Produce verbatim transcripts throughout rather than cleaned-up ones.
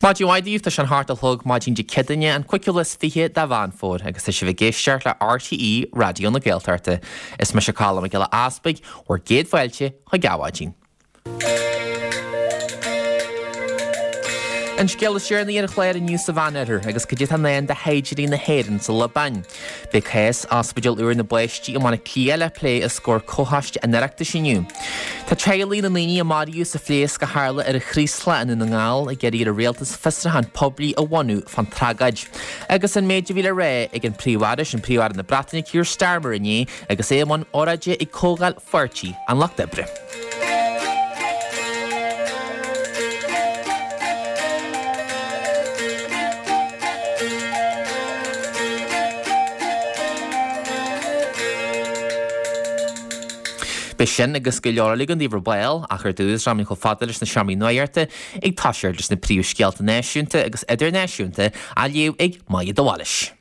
Maidin mhaith daoibh, tá sé an hocht a chlog maidin Dé Céadaoine an cúigiú lá is fiche de Mheán Fómhair agus tá sibh ag éisteacht le RTÉ Raidió na Gaeltachta. Is mise Colm Mac Giolla Easpaig, bhur gcéad fáilte chuig Adhmhaidin. An scéal is deireanaí ar an chlár inniu sa Mheánoirthear agus cad é atá i ndán do shaighdiúirí na hÉireann sa Liobáin. Beidh cás Ospidéal úr na bPáistí i mBaile Átha Cliath le plé os comhair Comhchoiste an Oireachtais inniu. Tá teaghlaigh na ndaoine a maraíodh sa phléasc a tharla ar an Chraoslach i nDún na nGall ag iarraidh ar an rialtas fiosrúchán poiblí a bhunú fán tragóid. Agus an méid a bhí le rá ag an Príomh-Aire, sin Príomh-Aire na Breataine Keir Starmer inné agus é i mbun óráide ag Comhdháil Pháirtí an Lucht Oibre. Beidh sin agus go leor eile againn daoibh ar ball, ach ar dtús, rachaimid chomh fada leis na seomraí nuachta ag toiseacht leis na príomhscéalta náisiúnta agus idirnáisiúnta á léamh ag Maja de Bhailís.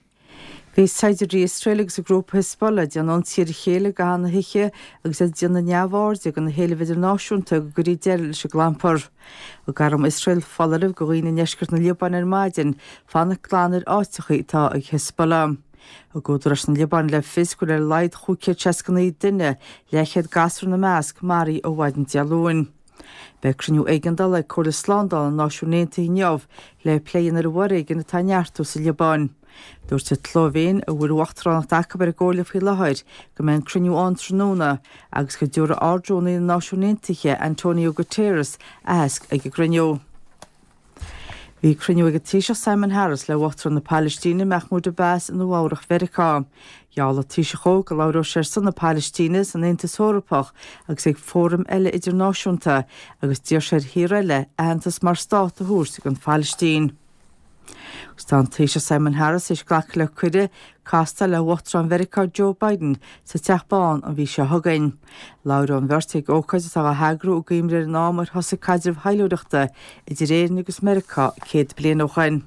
Bhí saighdiúirí Iosrael agus an grúpa Hezbollah ag déanamh ionsaí ar a chéile i gcaitheamh na hoíche agus iad ag déanamh neamhairde de na héilimh idirnáisiúnta go gcuirfí deireadh leis an gclampar. Thug arm Iosrael foláireamh do dhaoine i ndeisceart na Liobáine ar maidin fanacht glan ar áiteacha atá ag Hezbollah. Thug údaráis na Liobáine le fios go bhfuil ar a laghad chúig chéad seasca naoi duine, leathchéad gasúr ina measc, maraithe ó mhaidin Dé Luain. Beidh cruinniú éigeandála ag Comhairle Slándála na Náisiún Aontaithe inniu le plé a dhéanamh ar an bhforéigean atá ag neartú sa Liobáin. Dúirt an tSlóivéin, a bhfuil uachtaránacht acu ar an gComhairle faoi láthair, go mbeidh an cruinniú ann tráthnóna agus go dtabharfaidh Ard-Rúnaí na Náisiún Aontaithe, Antonio Guterres, aitheasc ag an gcruinniú. Bhí cruinniú ag an Taoiseach Simon Harris le Uachtarán na Palaistíne Mahmoud Abbas i Nua-Eabhrac Mheiriceá. Gheall an Taoiseach dó go labhródh sé ar son na Palaistíne san Aontas Eorpach agus ag fóraim eile idirnáisiúnta agus d'iarr sé ar thíortha eile aitheantas mar stát a thabhairt don Phalaistín. Agus tá an Taoiseach Simon Harris théis glacadh le cuireadh castáil le hUachtarán Mheiriceá Joe Biden sa Teach Bán an mhí seo chugainn. Labhróidh an bheirt ag ócáid atá á heagrú i gcuimhne ar an am ar thosaigh caidreamh thaidhleoireachta idir Éirinn agus Meiriceá céad bliain ó shoin.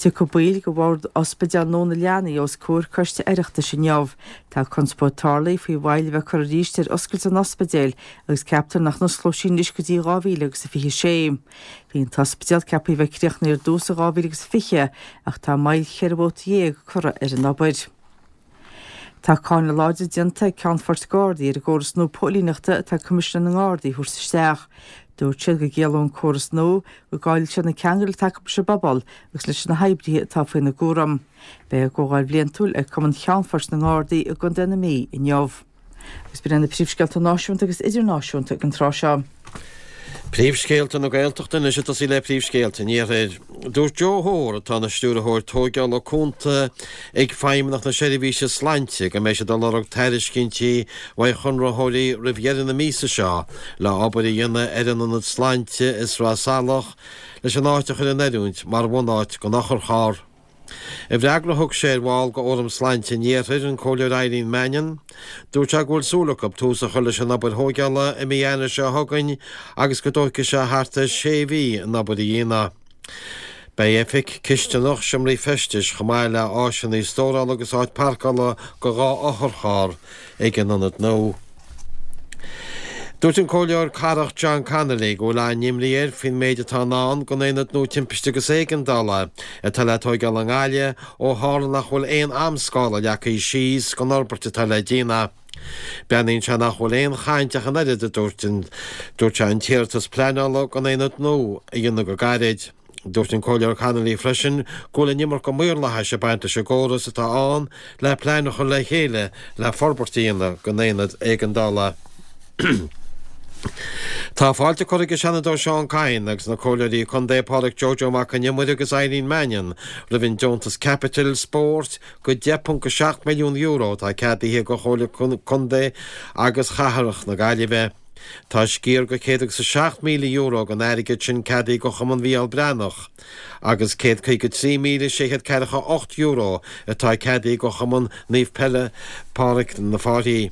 Tiocfaidh baill de bhord Ospidéal nua na Leanaí os comhair Coiste Oireachtais inniu. Tá conspóid tarlaithe faoi mhoill a bheith curtha arís ar oscailt an ospidéil agus ceaptar nach n-osclóidh sí anois go dtí dhá mhíle agus a fiche sé. Bhí an t-ospidéal ceaptha a bheith críochnaithe ar dtús i dhá mhíle agus fiche ach tá moill cheithre bhabhta dhéag curtha ar an obair. Tá cáineadh láidir déanta ag Ceannfoirt Gardaí ar an gcóras nua póilíneachta atá Coimisinéir na nGardaí a thabhairt isteach. Dúirt siad go gciallódh an córas nua go gcaillfidh siad na ceangail atá acu leis an bpobal agus leis na hoibrithe atá faoina gcúram. Beidh a gcomhdháil bhliantúil ag Cumann Cheannfoirt na nGardaí i gContae na Mí inniu. Agus b'in iad na príomhscéalta náisiúnta agus idirnáisiúnta ag an tráth seo. Príomhscéalta na Gaeltachta anois ag tosaí le príomhscéalta an Iarthair. Dúirt Joe Hoare, atá ina Stiúrthóir Tóigeála Cúnta ag Feidhmeannacht na Seirbhíse Sláinte, go mbeidh siad ag lorg tairiscintí uaidh chonraitheoirí roimh dheireadh na míosa seo le obair a dhéanamh ar an ionad sláinte i Sraith Salach leis an áit a chur in oiriúint mar bhunáit don otharcharr. I bhfreagra a thug sé ar bhall de Fhóram Sláinte an Iarthair, an Comhairleoir Eileen Mannion, dúirt sé go bhfuil súil acu tús a chur leis an obair thóigeála i mí Eanáir seo chugainn agus go dtógfaidh sé thart ar sé mhí an obair a dhéanamh. Beidh oifig, cisteanach, seomraí feistis chomh maith le áiseanna stórála agus áit páirceála do dhá otharcharr ag an ionad nua. Dúirt an Comhairleoir Cathrach John Connolly go bhfuil an-imní air faoin méid atá i ndán don Aonad nua Timpiste agus Éigeandála atá le tóigeáil i nGaillimh ó tharla nach bhfuil aon amscála leagtha síos don fhorbairt atá le déanamh. Breathnaíonn sé nach bhfuil aon chaint ach an oiread, a dúirt dúirt sé, an t-iarratas pleanála don aonad nua a dhéanamh go gairid. Dúirt an Comhairleoir Connolly freisin go bhfuil an iomarca maorlathais ag baint leis an gcóras atá ann le plean a chur le chéile le forbairt a dhéanamh don aonad éigeandála. Tá fáilte curtha ag an Seanadóir Seán Kyne agus na Comhairleoirí Contae Pádraic Joe Joe Mac Con Iomaire agus Eileen Mannion roimh an deontas caipitil spóirt go deich ponc a seacht milliún euro atá ceadaithe do Chomhairle Contae agus Chathrach na Gaillimhe. Tá sciar de céad agus a seacht míle euro den airgead sin ceadaithe do Chumann Mhícheál Breathnach agus céad caoga trí míle sé chéad ceathracha a hocht euro atá ceadaithe do Chumann Naomh Pádraig na Fáirthí.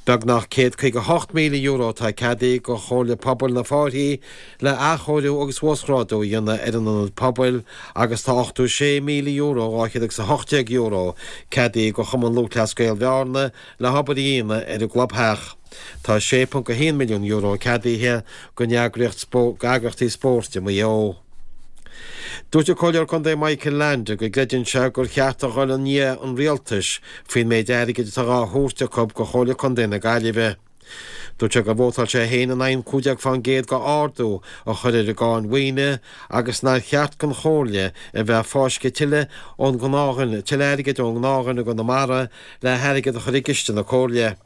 Beagnach céad caoga a hocht míle euro atá ceadaithe do Chomhairle Pobail na Fáirthí le athchóiriú agus uasghrádú a dhéanamh ar an ionad pobail agus tá ochtó sé míle euro dhá chéad agus a hocht déag euro ceadaithe do Chumann Lúthchleas Gael Bhearna le hobair a dhéanamh ar an gclubtheach. Tá sé ponc a haon milliún euro ceadaithe don eagraíocht d'eagraíochtaí spóirt i Maigh Eo. Dúirt an Comhairleoir Contae Michael Leainde go gcreideann sé gur cheart a dhul i ndiaidh an rialtais faoin méid airgid atá á thabhairt acu go Chomhairle Contae na Gaillimhe. Dúirt sé gur vótáil sé féin in aghaidh an cúig déag fán gcéad go ardú a chur ar an gcáin mhaoine agus nár cheart don Chomhairle a bheith ag fáisceadh tuilleadh ón ngnáthdhuine, tuilleadh airgid ón ngnáthdhuine i gConamara le hairgead a chur i gciste na Comhairle.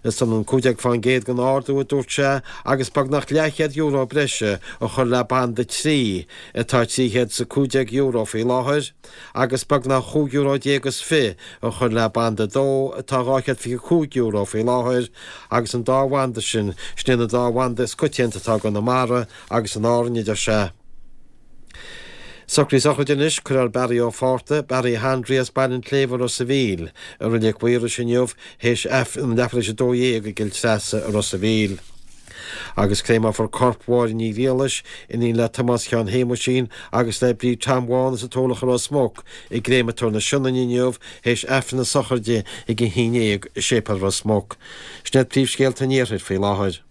Is ionann cúig déag fán gcéad den ardú, a dúirt sé, agus beagnach leathchéad euro breise a chur le banda trí, atá trí chéad is a cúig déag euro faoi láthair, agus beagnach chúig euro déag is fiche a chur le banda dó, atá dhá chéad fiche cúig euro faoi láthair, agus an dá bhanda sin, sin iad na dá bhanda is coitianta atá i gConamara agus in Árainn, a deir sé. Socruithe sochraide anois, Cuirfear Barry Ó Fátharta, Barry Handry as Baile an tSléibhe, Ros a' Mhíl, i Reilig Mhaorais inniu théis Aifreann leathuair théis a dó dhéag i gCill Treasa i Ros a' Mhíl. Agus créamófar corp Mháire Ní Ghriallais, iníon le Tomás Sheáin Shéamuisín agus le Bríd Tom Bháin as an Turlach i Ros Muc, i gCréamatóir na Sionainne inniu théis Aifreann na sochraide ag a haon déag i Séipéal Ros Muc. Sin iad príomhscéalta an Iarthair faoi láthair.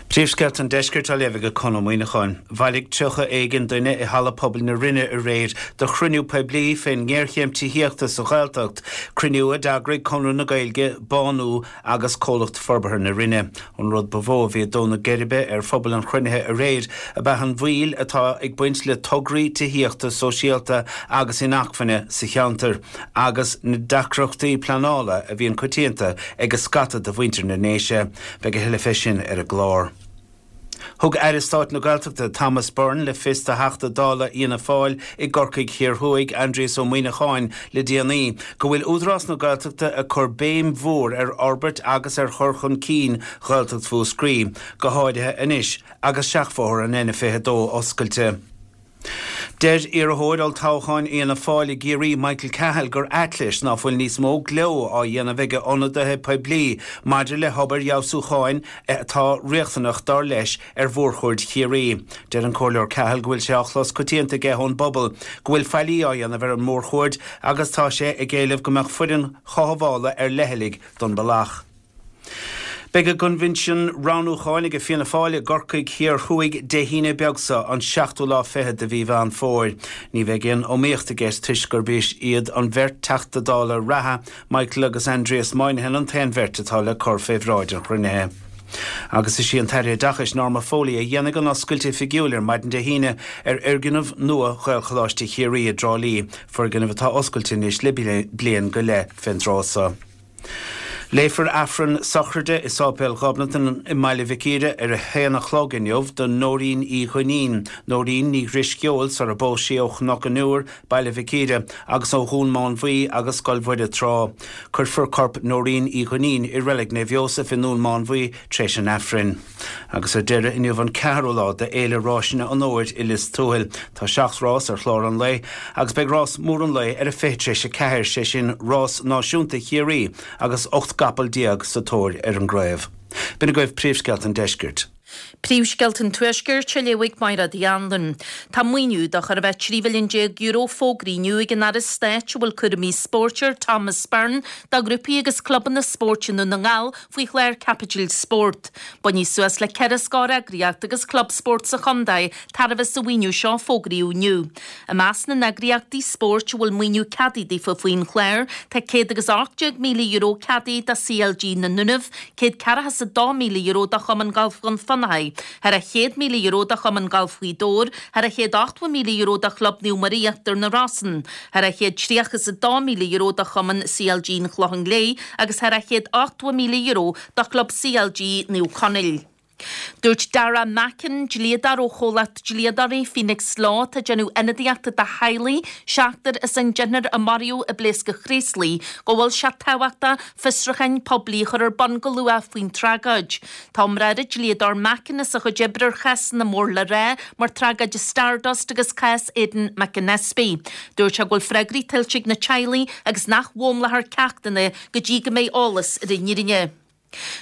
Príomhscéalta an Deiscirt á léamh ag Conn Ó Muíneacháin. Bhailigh tríocha éigin duine i Halla Pobail na Rinne aréir do chruinniú poiblí fén ngéarchéim tithíochta sa Ghaeltacht, cruinniú a d'eagraigh Conradh na Gaeilge, Bánú agus Comhlacht Forbartha na Rinne. An rud ba mhó a bhí ag dó na geirbe ar phobal an chruinnithe aréir ab ea an mhoill atá ag baint le tograí tithíochta sóisialta agus inacmhainne sa cheantar agus na deacrachtaí pleanála a bhíonn coitianta ag scata de mhuintir na nDéise. Beidh a thuilleadh fé sin ar an gclár. Thug Aire Stáit na Gaeltachta Thomas Byrne le fios do Theachta Dála Fhianna Fáil i gCorcaigh Thiar Thuaidh, Aindrias Ó Muimhneacháin, le déanaí, go bhfuil Údarás na Gaeltachta ag cur béim mhór ar fhorbairt agus ar chur chun cinn Ghaeltacht Mhúscraí, go háirithe anois agus seachbhóthar an N fiche dó oscailte. Deir iarrthóir olltoghcháin Fhianna Fáil i gCiarraí, Michael Cahill, gur ait leis ná fuil níos mó gleo á dhéanamh ag ionadaithe poiblí maidir le hobair fheabhsúcháin atá riachtanach, dar leis, ar mhórchuaird Chiarraí. Deir an Comhairleoir Cahill go bhfuil sé á chlos coitianta aige ón bpobal go bhfuil faillí á dhéanamh ar an mórchuaird agus tá sé ag éileamh go mbeadh foireann chothabhála ar leithligh don bealach. Beidh a gcoinbhinsiún roghnúcháin ag Fianna Fáil i gCorcaigh Thiar Thuaidh Dé hAoine beag seo, an seachtú lá fichead de mhí Mheán Fómhair. Ní bheidh aon iomaíocht i gceist toisc gurb iad an bheirt Teachta Dála reatha, Michael agus Aindrias Moynihan an t-aon bheirt atá le cur fé bhráid an chruinnithe. Agus is í an tAire Oideachais Norma Foley a dhéanfaidh an oscailt oifigiúil ar maidin Dé hAoine ar fhoirgneamh nua Ghaelcholáiste Chiarraí i dTrá Lí, foirgneamh atá oscailte anois le bliain go leith fén dtráth seo. Léifear Aifreann sochraide i Sáipéal Ghobnatan i mBaile Mhic Íre ar a haon a chlog inniu do Nóirín Uí Dhuinnín, Nóirín Ní Dhrisceoil sara bpós sí ó Chnoc an Iúir, Baile Mhic Íre, agus ó Dhún Mánmhaí agus Scoil Mhuire tráth. Cuirfear corp Nóirín Uí Dhuinnín i Reilig Naomh Iósaf i nDún Mánmhaí tréis an Aifrinn. Agus ar deireadh, inniu an ceathrú lá de Fhéile Ráiseanna an Fhómhair i Lios Tuathail. Tá seacht rás ar chlár an lae agus beidh rás mór an lae ar a fiche tar éis a ceathair, sé sin Rás Náisiúnta Chiarraí agus ocht gcapall déag sa tóir ar an gcraobh. B'in agaibh príomhscéalta an deiscirt. Príomhscéalta an Tuaiscirt á léamh ag Máire Uí Anluain. Tá maoiniú de chóir a bheith trí mhilliún déag euro fógraithe inniu ag an Aire Stáit a bhfuil cúraimí spóirt air, Thomas Byrne, do ghrúpaí agus clubanna spóirt i nDún na nGall faoi chlár Caipitil Spórt. Bainfidh suas le ceithre scór eagraíocht agus club spóirt sa chontae tairbhe as an mhaoiniú seo a fógraíodh inniu. I measc na n-eagraíochtaí spóirt a bhfuil maoiniú ceadaithe daofa faoin chlár, tá céad agus ocht déag míle euro ceadaithe do C L G na nDúnaibh, céad ceathracha is a dó míle euro do Chumann Gailf Dhún Fionnachaidh, thar a chéad míle euro do Chumann Gailf Ghaoth Dobhair, thar a chéad ochtó míle euro do Chlub Naomh Muire Íochtar na Rosann, thar a chéad tríocha is a dó míle euro do Chumann C L G an Chlocháin Léith agus thar a chéad ochtó míle euro do Chlub C L G Naomh Conaill. Dúirt Dara Mackin, dlíodóir ó chomhlacht dlíodóirí Phoenix Law atá ag déanamh ionadaíochta do theaghlaigh seachtar is an deichniúr a maraíodh i bpléascadh Chraoslaigh, go bhfuil sé tábhachtach fiosrúcháin poiblí a chur ar bun go luath faoin tragóid. Tá iomrá ar an dlíodóir Mackin as a chuid oibre ar chásanna mór le rá mar tragóid Stardust agus cás Aidan McAnespie. Dúirt sé go bhfuil freagraí tuillte ag na teaghlaigh agus nach bhfoghlaimeofar ceachtanna go dtí go mbeidh eolas ar an fhírinne.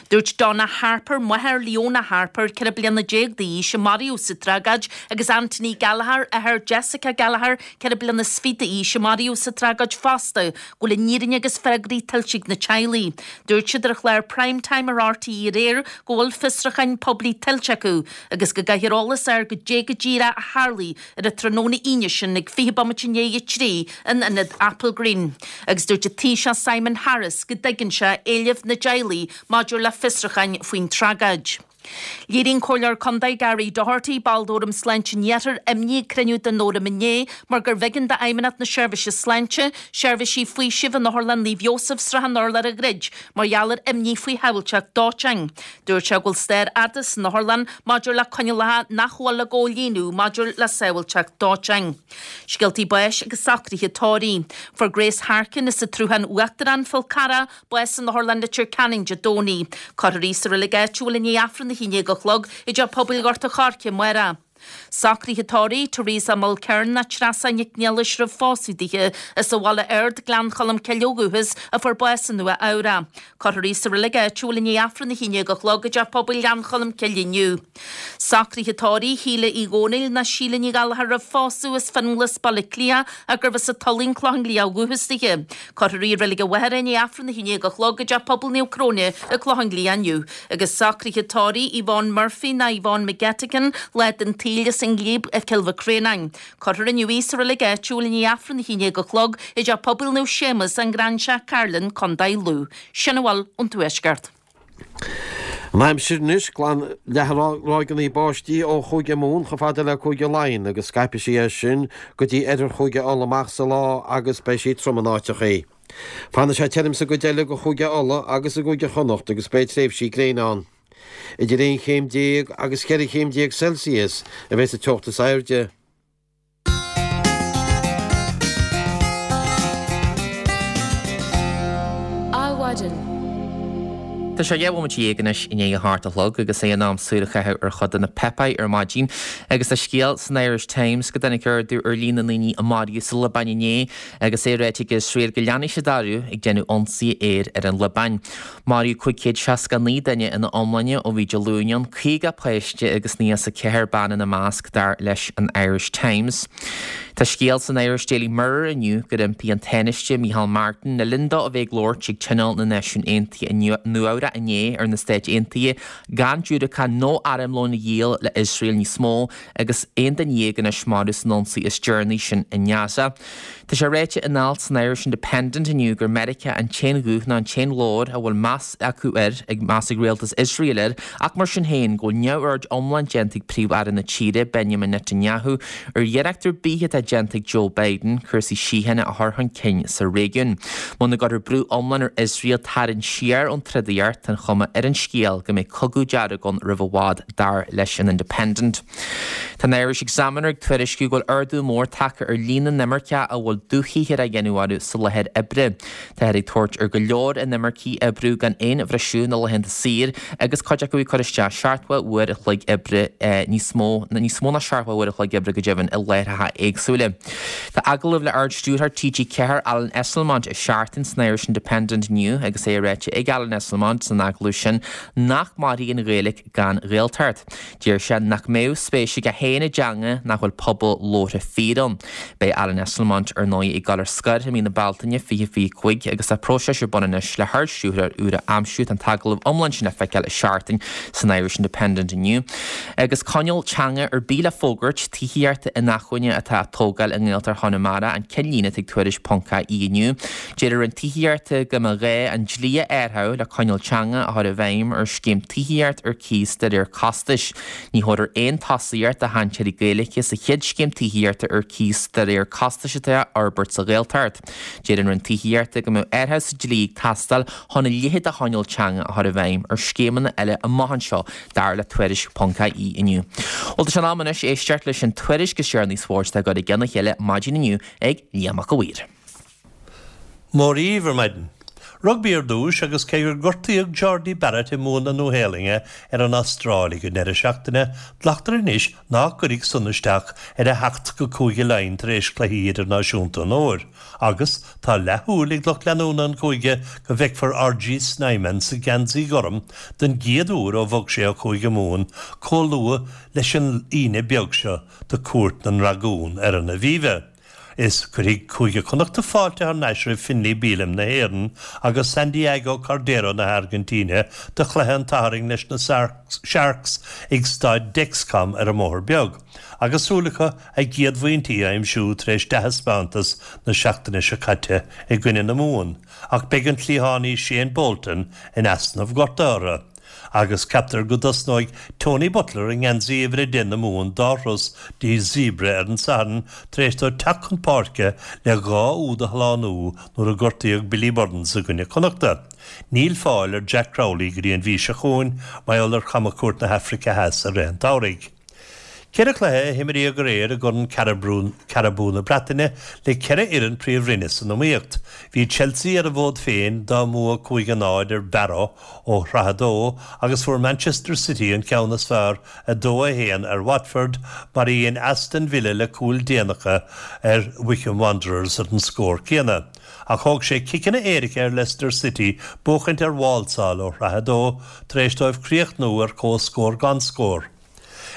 Dúirt Donna Harper, máthair Leona Harper, ceithre bliana déag d'aois, a maraíodh sa tragóid, agus Anthony Gallagher, athair Jessica Gallagher, ceithre bliana is fiche d'aois, a maraíodh sa tragóid fosta, go bhfuil an fhírinne agus freagraí tuillte ag na teaghlaigh. Dúirt siad ar an chlár Prime Time ar R T E aréir go bhfuil fiosrúcháin poiblí tuillte acu agus go gcaithfear eolas a fháil goidé go díreach a tharlaigh ar an tráthnóna Aoine sin ag fiche bomaite i ndiaidh a trí in ionad Applegreen. Agus dúirt an Taoiseach Simon Harris go dtuigeann sé éilimh na dteaghlach maidir le fiosrúcháin faoin tragóid. Léirigh an Comhairleoir Contae Gary Doherty, ball d'Fhóram Sláinte an Iarthair, imní ag cruinniú den fhóram inné mar gurbh éigean d'Fheidhmeannacht na Seirbhíse Sláinte seirbhísí faoisimh in Otharlann Naomh Iósaf Srath an Urláir a dhruid mar gheall ar imní faoi shábháilteacht dóiteáin. Dúirt sé go bhfuil stair fhada san otharlann maidir le coinníollacha nach bhfuil á gcomhlíonadh maidir le sábháilteacht dóiteáin. Scéaltaí báis agus socruithe tórraimh. Fuair Grace Harkin as an tSruthán Uachtarach, Fál Carrach, bás in Otharlann Leitir Ceanainn Dé Domhnaigh. Cuirfear í sa reilig áitiúil i ndiaidh Aifreann a haon déag a chlog i dTeach Pobail Ghort an Choirce amárach. Socruithe tórraimh Teresa Mulkern nó Treasa Nic Niallais roimh phósadh dithe as an Mhullach Ard, Gleann Cholm Cille ó dhúchas, a fuair bás i Nua Eabhrac. Cuirfear í sa reilig áitiúil i ndiaidh Aifreann a haon déag a chlog i dTeach Pobail Ghleann Cholm Cille inniu. Socruithe tórraimh Shíle Uí Dhónaill nó Síle Ní Ghallchóir roimh phósadh as Fionnglas, Baile Átha Cliath, ach gurbh as an Tulaing, Clochán Liath ó dhúchas dithe. Cuirfear í i reilig a mháthara i ndiaidh Aifreann a haon déag a chlog i dTeach Pobail Naomh Cróine i gClochán Liath inniu. Agus socruithe tórraimh Yvonne Murphy nó Yvonne McGettigan, lá den tsaol as an nGlíob i Cill Mhic Réanáin. Cuirfear inniu í sa reilig áitiúil i ndiaidh Aifreann a haon déag a chlog i dTeach Pobail Naomh Séamus, an Gráinseach, Cairlinn, Contae Lú. Sin a bhfuil ón Tuaisceart. An aimsir anois, glan-leathadh ráigeanna báistí ó Chúige Mumhan chomh fada le Cúige Laighean agus scaipfidh sí as sin go dtí oirthear Chúige Uladh amach sa lá agus beidh sí trom in áiteachaí. Fanfaidh sé tirim sa gcuid eile de Chúige Uladh agus i gCúige Chonnacht agus beidh tréimhsí gréine ann. Idir aon chéim déag agus ceithre chéim déag Celsius a bheidh sa teocht is airde. Adhmhaidin. Tá sé dhá bhomaite dhéag anois i ndiaidh a hocht a chlog agus é in am súil a chaitheamh ar chuid de na páipéir ar maidin agus tá scéal san Irish Times go dtáinig ardú ar líon na ndaoine a maraíodh sa Liobáin inné agus é ráite ag Iosrael go leanfaidh siad orthu ag déanamh ionsaithe aeir ar an Liobáin. Maraíodh cúig chéad seasca naoi duine ina iomláine ó bhí Dé Luain ann, caoga páiste agus naocha is a ceathair bean ina measc, dar leis an Irish Times. Tá scéal san Irish Daily Mirror inniu gur impigh an Tánaiste Micheál Martin le linn dó a bheith ag labhairt ag Tionól na Náisiún Aontaithe i Nua-Eabhrac inné ar na Stáit Aontaithe gan diúracáin nó armlón a dhíol le Iosrael níos mó agus aon duine dhéag anois marbh san ionsaí is deireanaí sin i nGaza. Tá sé ráite in alt san Irish Independent inniu gur Meiriceá an t-aon ghuth nó an t-aon ghlór a bhfuil meas acu air, ag meas ag rialtas Iosrael air, ach mar sin féin go bhfuil neamhaird iomlán déanta ag Príomh-Aire na tíre, Benjamin Netanyahu, ar iarracht ar bith atá déanta ag Joe Biden cúrsaí síochána a chur chun cinn sa réigiún. Muna gcuirfear brú iomlán ar Iosrael tarraingt siar ón trodaíocht, tá an chuma ar an scéal go mbeidh cogadh dearg ann roimh i bhfad, dar leis an Independent. Tá an Irish Examiner ag tuairisciú go bhfuil ardú mór tagtha ar líon na n-imirceach a bhfuil dúshaothar á dhéanamh orthu sa láthair oibre. Táthar ag tabhairt ar go leor inimircigh oibriú gan aon bhriseadh na laethanta saor agus cuid acu ag cur isteach seachtó uair a chloig oibre níos mó, níos mó ná seachtó uair a chloig oibre go deimhin i láithreacha éagsúla. Tá agallamh le Ard-Stiúrthóir T G ceathair Alan Esslemont i Seachtain san Irish Independent inniu agus é ráite ag Alan Esslemont san agallamh sin nach mairfidh an Ghaeilge gan Ghaeltacht. Deir sé nach mbeadh spéis aige féin i dteanga nach bhfuil pobal labhartha fíor ann. Beidh Alan Esslemont ar ndóigh ag dul ar scor i mí na Bealtaine fiche fiche cúig agus tá próiseas ar bun anois le hArd-Stiúrthóir úr a aimsiú. Tá an t-agallamh iomlán sin le feiceáil i Seachtain san Irish Independent inniu. Agus coinníoll teanga ar bith le fógairt tithíochta inacmhainne atá á tógáil i nGaeltacht Chonamara an ceannlíne atá ag Tuairisc ponc I E inniu. Deir an Roinn Tithíochta go mba ghá an dlí a athrú le coinníoll teanga a chur i bhfeidhm ar scéim tithíocht ar cíos de réir costais. Ní thabharfar aon tosaíocht do chainteoirí Gaeilge sa chéad scéim tithíochta ar cíos de réir costais atá á fhorbairt sa Ghaeltacht. Deir an Roinn Tithíochta go mbeadh athrú sa dlí ag teastáil chun a leithéid de choinníoll teanga a chur i bhfeidhm ar scéimeanna eile amach anseo, dar le Tuairisc ponc I E inniu. Bhuel, tá sé in am anois éisteacht leis an tuairisc is deireanaí spóirt atá curtha i gcionn a chéile maidin inniu ag Liam Mac a' Mhaoir. Mora dhaoibh ar maidin. Rugbaí ar dtús agus cé gur gortaíodh Jordie Barrett i mbua na Nua-Shéalainne ar an Astráil ag an deireadh seachtaine, glactar anois nach gcuirfidh san isteach ar a theacht go Cúige Laighean tar éis cluichí idirnáisiúnta an fhómhair. Agus tá leathshúil ag lucht leanúna an chúige go bhfeicfear R G Snyman sa gheansaí gorm den gcéad uair ó bhog sé ó Chúige Mumhan chomh luath leis an Aoine beag seo do Cuairt na nDragún ar an Aviva. Is cuirfidh Cúige Connachta fáilte thar n-ais roimh Finlay Bealham na hÉireann agus Santiago Cordero na hAirgintíne do chluiche an tSathairn leis na Sharks ag staid Dexcom ar an mBóthar Beag. Agus súil acu a gcéad phointí a aimsiú tar éis dea-thaispeántas na seachtaine seo caite i gcoinne na Mumhan, ach beidh an cliathánaí Shane Bolton in easnamh gortaithe. Agus ceaptar go dtosnóidh Tony Butler i ngeansaí uimhir a deich na Mumhan dá thuras dtí Zebre ar an Satharn tar éis dó teacht chun páirce le dhá úd a shlánú nuair a gortaíodh Billy Burns i gcoinne Connachta. Níl fáil ar Jack Crowley go dtí an mhí seo chugainn mar gheall ar chamchuairt na hAfraice Theas i rith an tsamhraidh. Ceithre chluiche a imríodh aréir i gCorn Carabao na Breataine le ceithre fhoireann príomhroinne san iomaíocht. Bhí Chelsea ar a bhfód féin dá mbua cúig a náid ar Barrow ó Shraith a dó agus fuair Manchester City an ceann is fearr a dó a haon ar Watford mar a dhein Aston Villa le cúl déanach ar Wycombe Wanderers ar an scór céanna. Ach thóg sé ciceanna éirice ar Leicester City buachaint ar Walsall ó Shraith a dó tar éis dóibh críochnú ar comhscór gan scór.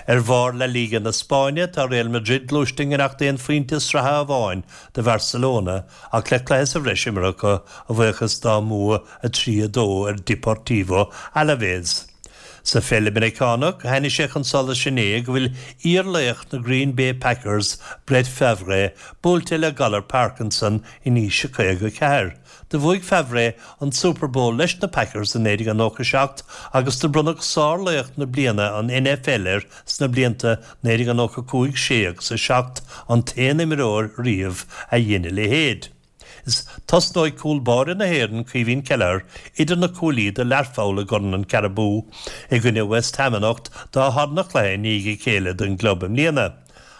Ar bharr La Liga na Spáinne tá Real Madrid gluaiste i ngiorracht aon phointe sraithe amháin do Barcelona ach le cluiche sa bhreis imeartha a bhuíochas dá mbua a trí a dó ar Deportivo Alaves. Sa pheil Mheiriceánach tháinig sé chun solais inné go bhfuil iarlaoch na Green Bay Packers Brett Favre buailte le galar Parkinson in aois a caoga ceathair. Do bhuaigh Favre an Super Bowl leis na Packers in naoi déag nócha seacht agus do bronnadh sárlaoch na bliana an N F L air sna blianta naoi déag nócha cúig sé agus a seacht, an t-aon imreoir riamh a dhein a leithéid. Is tosnóidh cúl báire na hÉireann Caoimhín Kelleher idir na cuaillí do Learpholl i gCorn an Carabao i gcoinne West Ham anocht dá dara cluiche i ndiaidh a chéile don gclub i mbliana.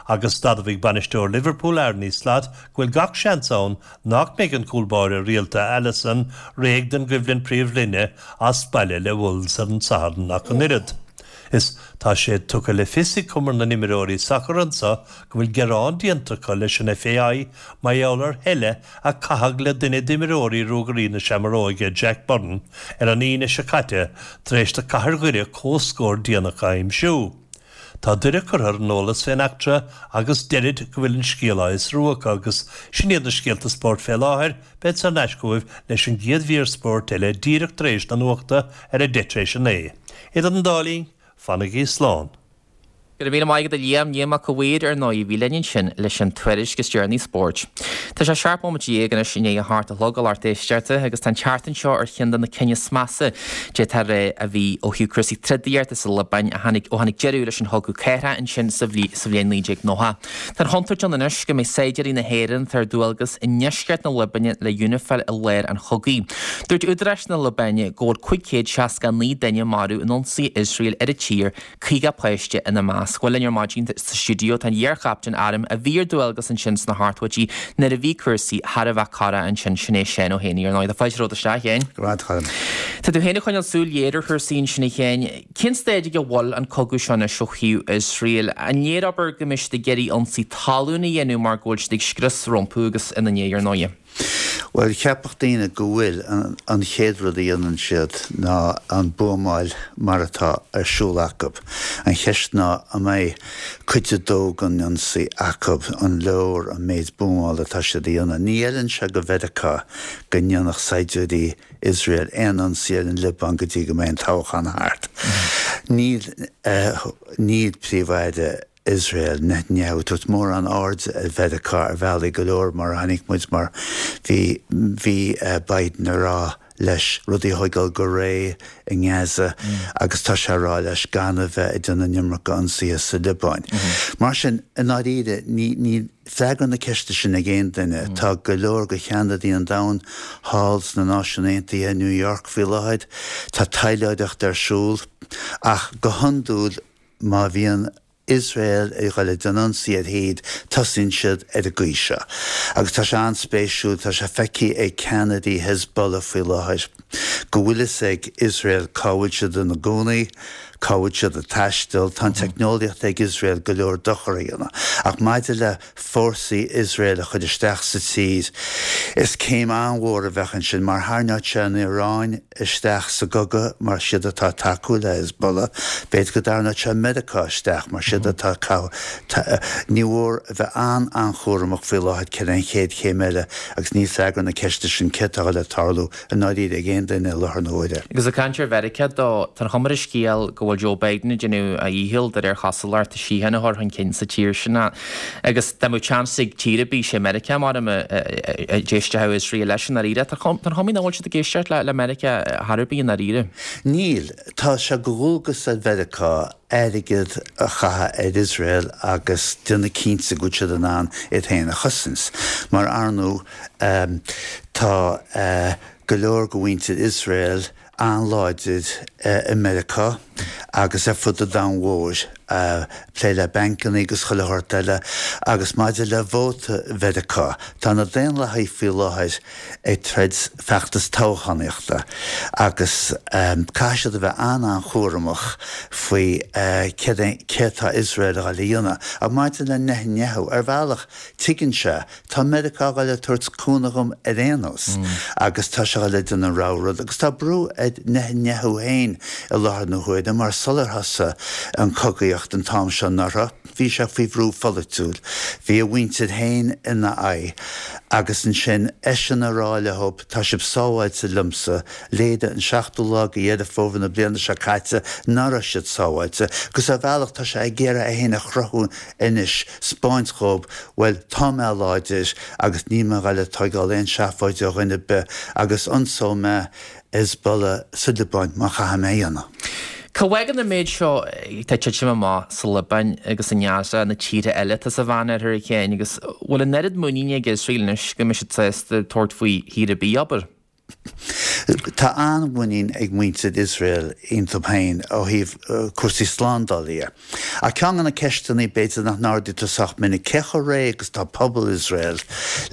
Agus d'admhaigh bainisteoir Liverpool Arne Slot go bhfuil gach seans ann nach mbeidh an cúl báire rialta Alisson réidh don gcoimhlint príomhroinne as baile le Wolves ar an Satharn ach an oiread. Is tá sé tugtha le fios ag Cumann na n-imreoirí sacair anseo go bhfuil gearán déanta acu leis an F A I mar gheall ar sheile a caitheadh le duine d'imreoirí Ruagairí na Seamróige Jack Burton ar an Aoine seo caite tar éis do Cathair Dhoire comhscór déanach a aimsiú. Tá Doire curtha ar an eolas fén eachtra agus deirid go bhfuil an scéal á fhiosrú acu. Agus sin iad na scéalta spóirt fé láthair. Bead san eiscóibh leis an gcéad mhír spóirt eile díreach tar éis na nuachta ar a deich tar éis a naoi. Idir an dá linn, fanaigí slán. Go raibh míle maith agat, a Liam. Liam Mac a' Mhaoir ar ndóigh bhí linn ansin leis an tuairisc is deireanaí spóirt. Tá sé seacht nóiméad déag anois i ndiaidh a hocht a chlog, a lucht éisteachta, agus tá an tseachtain seo ar cheann de na cinn is measa d'fhéadfá a rá a bhí ó thaobh cúrsaí trodaíochta sa Liobáin a tháinig ó tháinig deireadh leis an chogadh cathartha ansin sa bhliain naoi déag nócha. Tá an chontúirt ann anois go mbeidh saighdiúirí na hÉireann ar dualgas i ndeisceart na Liobáine le UNIFIL i lár an chogaidh. Dúirt údaráis na Liobáine go bhfuil cúig chéad seasca naoi duine marbh in ionsaí Iosrael ar an tír, caoga páiste ina measc. Bhuel, linn ar maidin sa stiúideo tá an iarchaptaen airm a bhí ar dualgas ansin sna hochtóidí nuair a bhí cúrsaí thar a bheith corrach ansin, sin é Seán Ó hÉanaí ar ndóigh. Tá fáilte romhat isteach, a Sheáin. Tá tú féin ag coinneáil súil ghéar ar chúrsaí ansin, a Sheáin. Cén staid ag a bhfuil an cogadh seo anois ó thaobh Iosrael? An léir abair go mbeidh siad ag iarraidh ionsaí talún a dhéanamh mar go bhfuil siad ag scrios rompu agus ina ndiaidh ar ndóigh? Well, cheapfadh daoine go bhfuil an, an chéad rud a dhéanann siad ná an buamáil mar atá ar siúl acu. An cheist ná an mbeidh cuid a dó den ionsaí acu, an leor an méid buamáil atá siad a dhéanamh. Ní fheileann sé do Mheiriceá go ndéanfadh saighdiúirí Israel aon ionsaí ar an Liobáin go dtí go mbeidh an toghchán thart. Níl uh, níl príomh-aire Israel Netanyahu ag tabhairt mórán aird ar Mheiriceá ar bhealaí go leor, mar chonaic muid mar bhí bhí uh, Biden ag rá leis rudaí a thógáil go réidh i nGaza mm. agus tá sé rá leis gan a bheith ag déanamh an iomarca ionsaithe sa Liobáin. Mm -hmm. Mar sin, i ndáiríre, ní ní freagra na ceiste sin ag aon duine. Mm. Tá go leor de cheannairí an domhain thall sna Náisiúin Aontaithe, New York faoi láthair, tá taidhleoireacht ar siúl, ach go hiondúil má bhíonn Iosrael ag dul ag déanamh ionsaí ar thír, tosaíonn siad ar an gcaoi seo. Agus tá sé an-spéisiúil, tá sé feicthe ag ceannairí Hezbollah faoi láthair go bhfuil fhios ag Iosrael cá bhfuil siad ina gcónaí, cá bhfuil siad ag taisteal, tá an teicneolaíocht ag Iosrael go leor dochar a dhéanamh. Ach maidir le fórsaí Iosrael a chur isteach sa tír, is céim an-mhór a bheadh ansin mar tharraingeodh sé an Iaráin isteach sa gcogadh mar siad atá ag tacú le Hezbollah, b'fhéidir go dtarraingeodh sé Meiriceá isteach mar siad atá Ní mór a bheith an-an-chúramach faoi láthair céard é an chéad chéim eile agus níl freagra na ceiste sin céard atá le tarlú i ndáiríre ag aon duine i láthair na huaire. Agus ag caint ar Mheiriceá dó, tá an chuma ar an scéal go bhfuil Joe Biden ag déanamh a dhícheall de réir chosúlachta síocháin a chur chun cinn sa tír sin agus dá mbeadh seans ag tír ar bith sé Meiriceá mar a d'éistfeadh Iosrael leis i ndáiríre. Tá an chuma nach bhfuil siad ag éisteacht le Meiriceá thar ar bith i ndáiríre. Níl. Tá sé de dhualgas ar Mheiriceá airgead a chaitheamh ar Iosrael agus déanamh cinnte go bhfuil siad in ann iad féin a chosaint. Mar ar ndóigh tá go leor de mhuintir Iosrael an-láidir i Meiriceá agus ar fud an domhain mhóir, plé le bancanna agus chuile shórt eile. Agus maidir le vóta Mheiriceá, tá na Daonlathaigh faoi láthair ag troid feachtas toghchánaíochta agus caithfidh siad a bheith an-an-chúramach faoi céard atá Iosrael a dhul a dhéanamh. Ach maidir le Netanyahu, ar bhealach tuigeann sé, tá Meiriceá a dhul ag tabhairt cúnamh dhom ar aon nós agus tá sé a dhul ag déanamh an rogha rud. Agus tá brú ar Netanyahu féin i láthair na huaire mar sular thosaigh an chogaíocht an t-am seo anuraidh, bhí sé faoi bhrú pholaitiúil, bhí a mhuintir féin ina aghaidh agus ansin eisean a rá leo tá sibh sábháilte liomsa, léirigh an seachtú lá de Dheireadh Fómhair na bliana seo caite nach raibh siad sábháilte agus ar bhealach tá sé ag iarraidh é féin a chruthú anois, 'spáint dhóibh, bhuel, tá mé láidir agus níl mé a dhul ag tóigeáil aon seafóid ó dhuine ar bith agus ionsóidh mé Hezbollah sa Liobáin má chaithfidh mé a dhéanamh. Cá bhfágann an méid seo atá ag titim amach sa Liobáin agus i nGaza, na tíortha eile atá sa Mheánoirthear a Sheáin, agus bhfuil an oiread muiníne ag Iosrael anois go mbeidh siad sásta tabhairt faoi thír ar bith, abair? Tá an-mhuinín ag muintir Iosrael iontu féin ó thaobh cúrsaí slándála dhe. Ach ceann de na ceisteanna b'fhéidir nach n-ardaítear sách minic, cé chomh réidh agus atá pobal Iosrael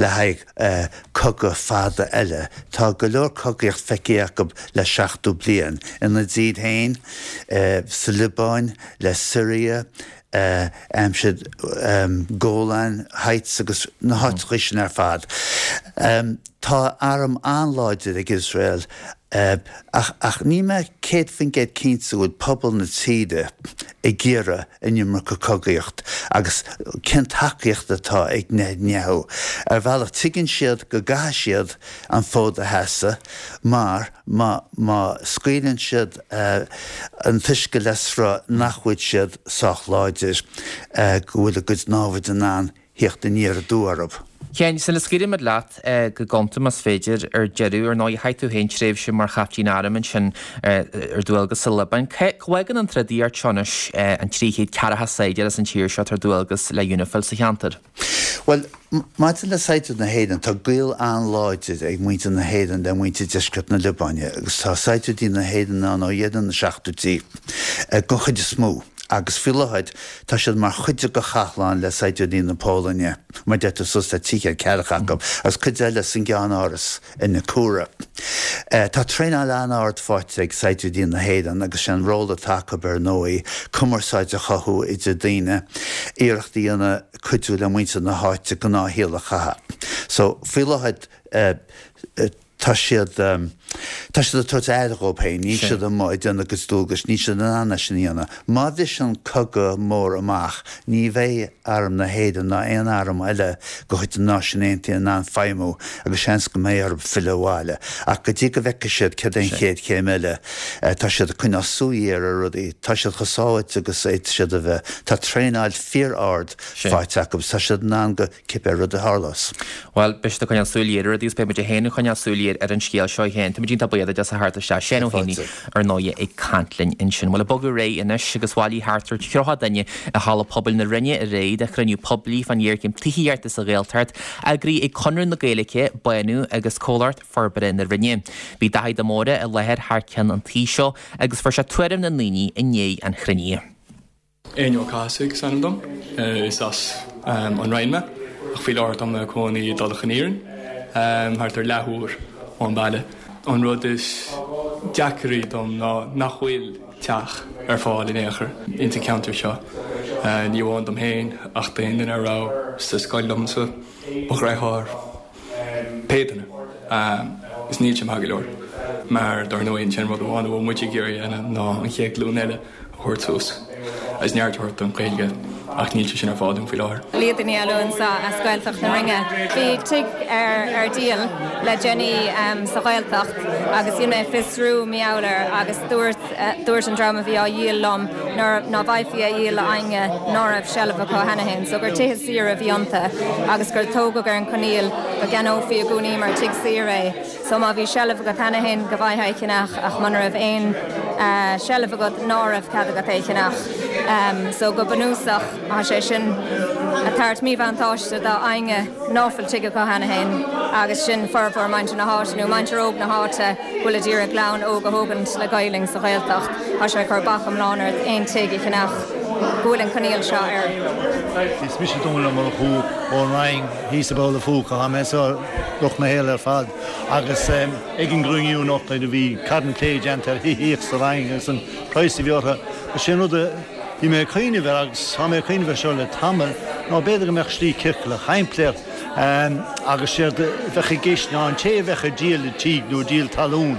le haghaidh cogadh fada eile? Tá go leor cogaíocht feicthe acu le seachtó bliain, ina dtír féin, sa Liobáin, le Siria, aimsir Golan Heights agus na háiteacha sin ar fad. Tá arm an-láidir ag Iosrael ach ach níl mé céad faoin gcéad cinnte go bhfuil pobal na tíre ag iarraidh an iomarca cogaíocht agus cén tacaíocht atá ag Netanyahu. Ar bhealach tuigeann siad go gcaithfidh siad an fód a sheasamh mar má má scaoileann siad an t-uisce le sruth nach bhfuil siad sách láidir go bhfuil a gcuid námhaid in ann theacht aniar aduaidh orthu. Sheáin, sula scaoilfimid leat go gonta más féidir, ar deireadh, ar ndóigh, chaith tú féin tréimhse mar chaiptín airm ansin ar dualgas sa Liobáin. Cá bhfágann an trodaíocht seo anois an trí chéad ceathracha saighdiúir as an tír seo atá ar dualgas le Unifil sa cheantar? Bhuel, maidir le saighdiúirí na hÉireann, tá gaol an-láidir ag muintir na hÉireann le muintir deisceart na Liobáine agus tá saighdiúirí na hÉireann ann ó dheireadh na seachtóidí den chuid is mó. Agus faoi láthair tá siad mar chuid de chathlán le saighdiúirí na Polainne, mar deir tú suas le trí chéad ceathracha acu, agus cuid eile san gceannáras i Naqoura. Tá traenáil an-ard faighte ag saighdiúirí na hÉireann agus sé an ról atá acu ar ndóigh cumarsáid a chothú idir daoine, iarracht a dhéanamh cuidiú le muintir na háite gnáthshaol a chaitheamh. So, faoi láthair tá siad, tá siad ag tabhairt aire dhóibh féin, níl siad amuigh ag déanamh a gcuid dualgais, níl siad in ann é sin a dhéanamh. Má bhriseann cogadh mór amach, ní bheidh Arm na hÉireann ná aon arm eile de chuid na Náisiún Aontaithe in ann feidhmiú agus seans go mbeidh orthu filleadh abhaile. Ach go dtí go bhfeicfidh siad céard é an chéad chéim eile, tá siad ag coinneáil súil ghéar ar rudaí, tá siad chomh sábháilte agus a fhéadfadh siad a bheith, tá traenáil fíor-ard faighte acu agus tá siad in ann go cibé rud a tharlós. Bhuel, beidh siad ag coinneáil súil ghéar ar rudaí agus beidh muid féin ag coinneáil súil ghéar ar an scéal seo féin. Táimid iontach buíoch duit as a theacht isteach. Seán Ó Fáilte. Héanaí, ar ndóigh, ag caint linn ansin. Bhuel, ag bogadh ar aghaidh anois agus bhailigh thart ar tríocha duine i Halla Pobail na Rinne aréir do chruinniú poiblí fán ghéarchéim tithíochta sa Ghaeltacht, eagraithe ag Conradh na Gaeilge, Bánú agus Comhlacht Forbartha na Rinne. Bhí Daithí de Mórdha i láthair thar ceann an tí seo agus fuair sé tuairim na ndaoine i ndiaidh an chruinnithe. Éinne Ó Cathasaigh is ainm dom, is as an Rinn mé, ach faoi láthair tá mé i mo chónaí i dTulach an Iarainn, thart ar leathuair ón baile. An rud is deacraí dom ná nach bhfuil teach ar fáil in aon chor ins an ceantar seo. Ní amháin dom féin ach d'aon duine a raibh sa scoil liomsa, mo dheartháir, pé duine. Is níl sé maith go leor mar dar ndóigh an t-aon rud amháin a bhfuil muid ag iarraidh a dhéanamh ná an chéad ghlúin eile a thabhairt suas agus neart a thabhairt don Ghaeilge ach níl sé sin ar fáil dúinn faoi láthair. Líadh Ní Fhallúin anseo as Gaeltacht na Rinne. Bhí tigh ar ar díol le déanaí sa Ghaeltacht agus dhein mé fiosrú mar gheall air agus dúirt dúirt an dream a bhí á dhíol liom nár ná bhfaighfí a dhíol le éinne ná raibh seilbh acu cheana féin, so gur tithe saoire a bhí iontu agus gur tógadh ar an choinníoll go gceannófaí i gcónaí mar tigh saoire é. So má bhí seilbh agat cheana féin go bhfaighfeá é a cheannach ach muna raibh aon seilbh agat ná raibh cead agat é a cheannach. So go bunúsach tá sé sin ag tabhairt míbhuntáiste do éinne ná fuil tigh acu cheana féin agus sin formhór muintir na háite nó muintir óg na háite go bhfuil ag iarraidh clann óg a thógaint le Gaelainn sa Ghaeltacht. Tá sé ag cur bac iomlán ort aon tigh a cheannach go bhfuil an coinníoll seo air. Is mise Dónal Ó Murchú ón Rinn thíos i bPoll an Phúca. Tá mé anseo lucht mo shaoil ar fad agus ag an gcruinniú anocht nuair a bhí carn plé déanta ar thithíocht sa Rinn agus an praghas a bhí orthu, is é an rud a bhí mé ag cuimhneamh air agus tá mé ag cuimhneamh air seo le tamall ná b'fhéidir go mbeadh slí ciorclach shimplí agus séard a bheadh i gceist ná an té a bheadh ag díol an tí nó ag díol talún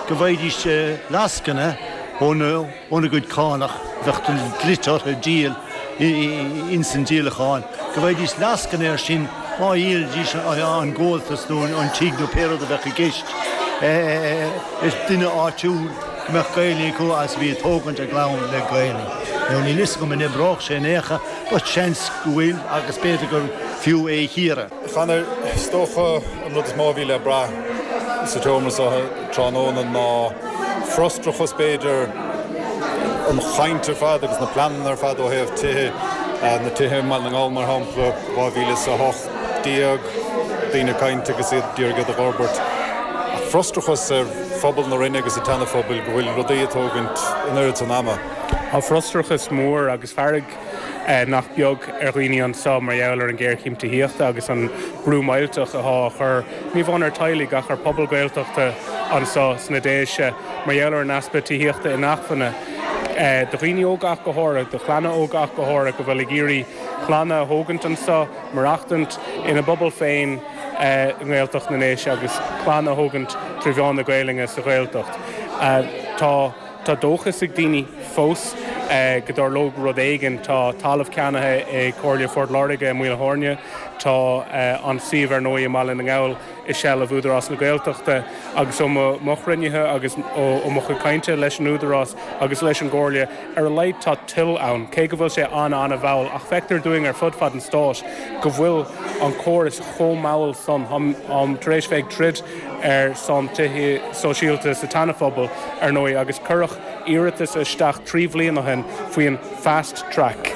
go bhfaighidís lascaine óna gcuid cánach a bheadh dlite orthu díol ins an díolachán, go bhfaighidís lascaine air sin má dhíolaidís an gabháltas nó an tigh nó pé rud a bheadh i gceist le duine áitiúil go mbeadh Gaelainn acu agus a bhí ag tógaint a gclann le Gaelainn. Now níl fhios agam an oibreodh sé in aon chor but seans go bhfuil agus b'fhéidir gur fiú é a chíoradh. A Chonor, is dócha an rud is mó a bhí le brath sa tseomra seo tráthnóna ná frustrachas b'fhéidir, an chaint ar fad agus na pleananna ar fad ó thaobh tithe, na tithe i mBaile na nGall mar shampla, dhá mhíle is a hocht déag, daoine ag caint agus iad ag iarraidh iad a dh'fhorbairt. Ach frustrachas ar phobal na Rinne agus an tSeana-Phobail go bhfuil rudaí ag tógaint an oiread san ama. Tá frustrachas mór agus fearg nach beag ar dhaoine anseo mar gheall ar an ghéarchéim tithíochta agus an brú millteach atá á chur, ní amháin ar teaghlaigh ach ar phobal Gaeltachta anseo sna Déise mar gheall ar an easpa tithíochta inacmhainne do dhaoine óga ach go háirithe, do chlanna óga ach go háirithe go bhfuil ag iarraidh clanna a thógaint anseo, maireachtaint ina bpobal féin i nGaeltacht na nDéise agus clann a thógaint trí mheán na Gaelainne sa Ghaeltacht. Tá. Tá dóchas ag daoine fós go dtarlódh rud éigin. Tá talamh ceannaithe ag Comhairle Phort Láirge i Maoil a' Tháirne. Tá an suíomh ar ndóigh i mBaile na nGall i seilbh Údarás na Gaeltachta agus ó mo chruinnithe agus ó mo chuid cainte leis an Údarás agus leis an gComhairle, ar a laghad tá toil ann, cé go bhfuil sé an-an-mhall. Ach feictear dúinn ar fud fad an stáit go bhfuil an córas chomh mall san. Táim tar éis bheith ag troid ar son tithe sóisialta sa tSeana-Phobal, ar ndóigh, agus cuireadh iarratas isteach trí bhliain ó shin faoin fast track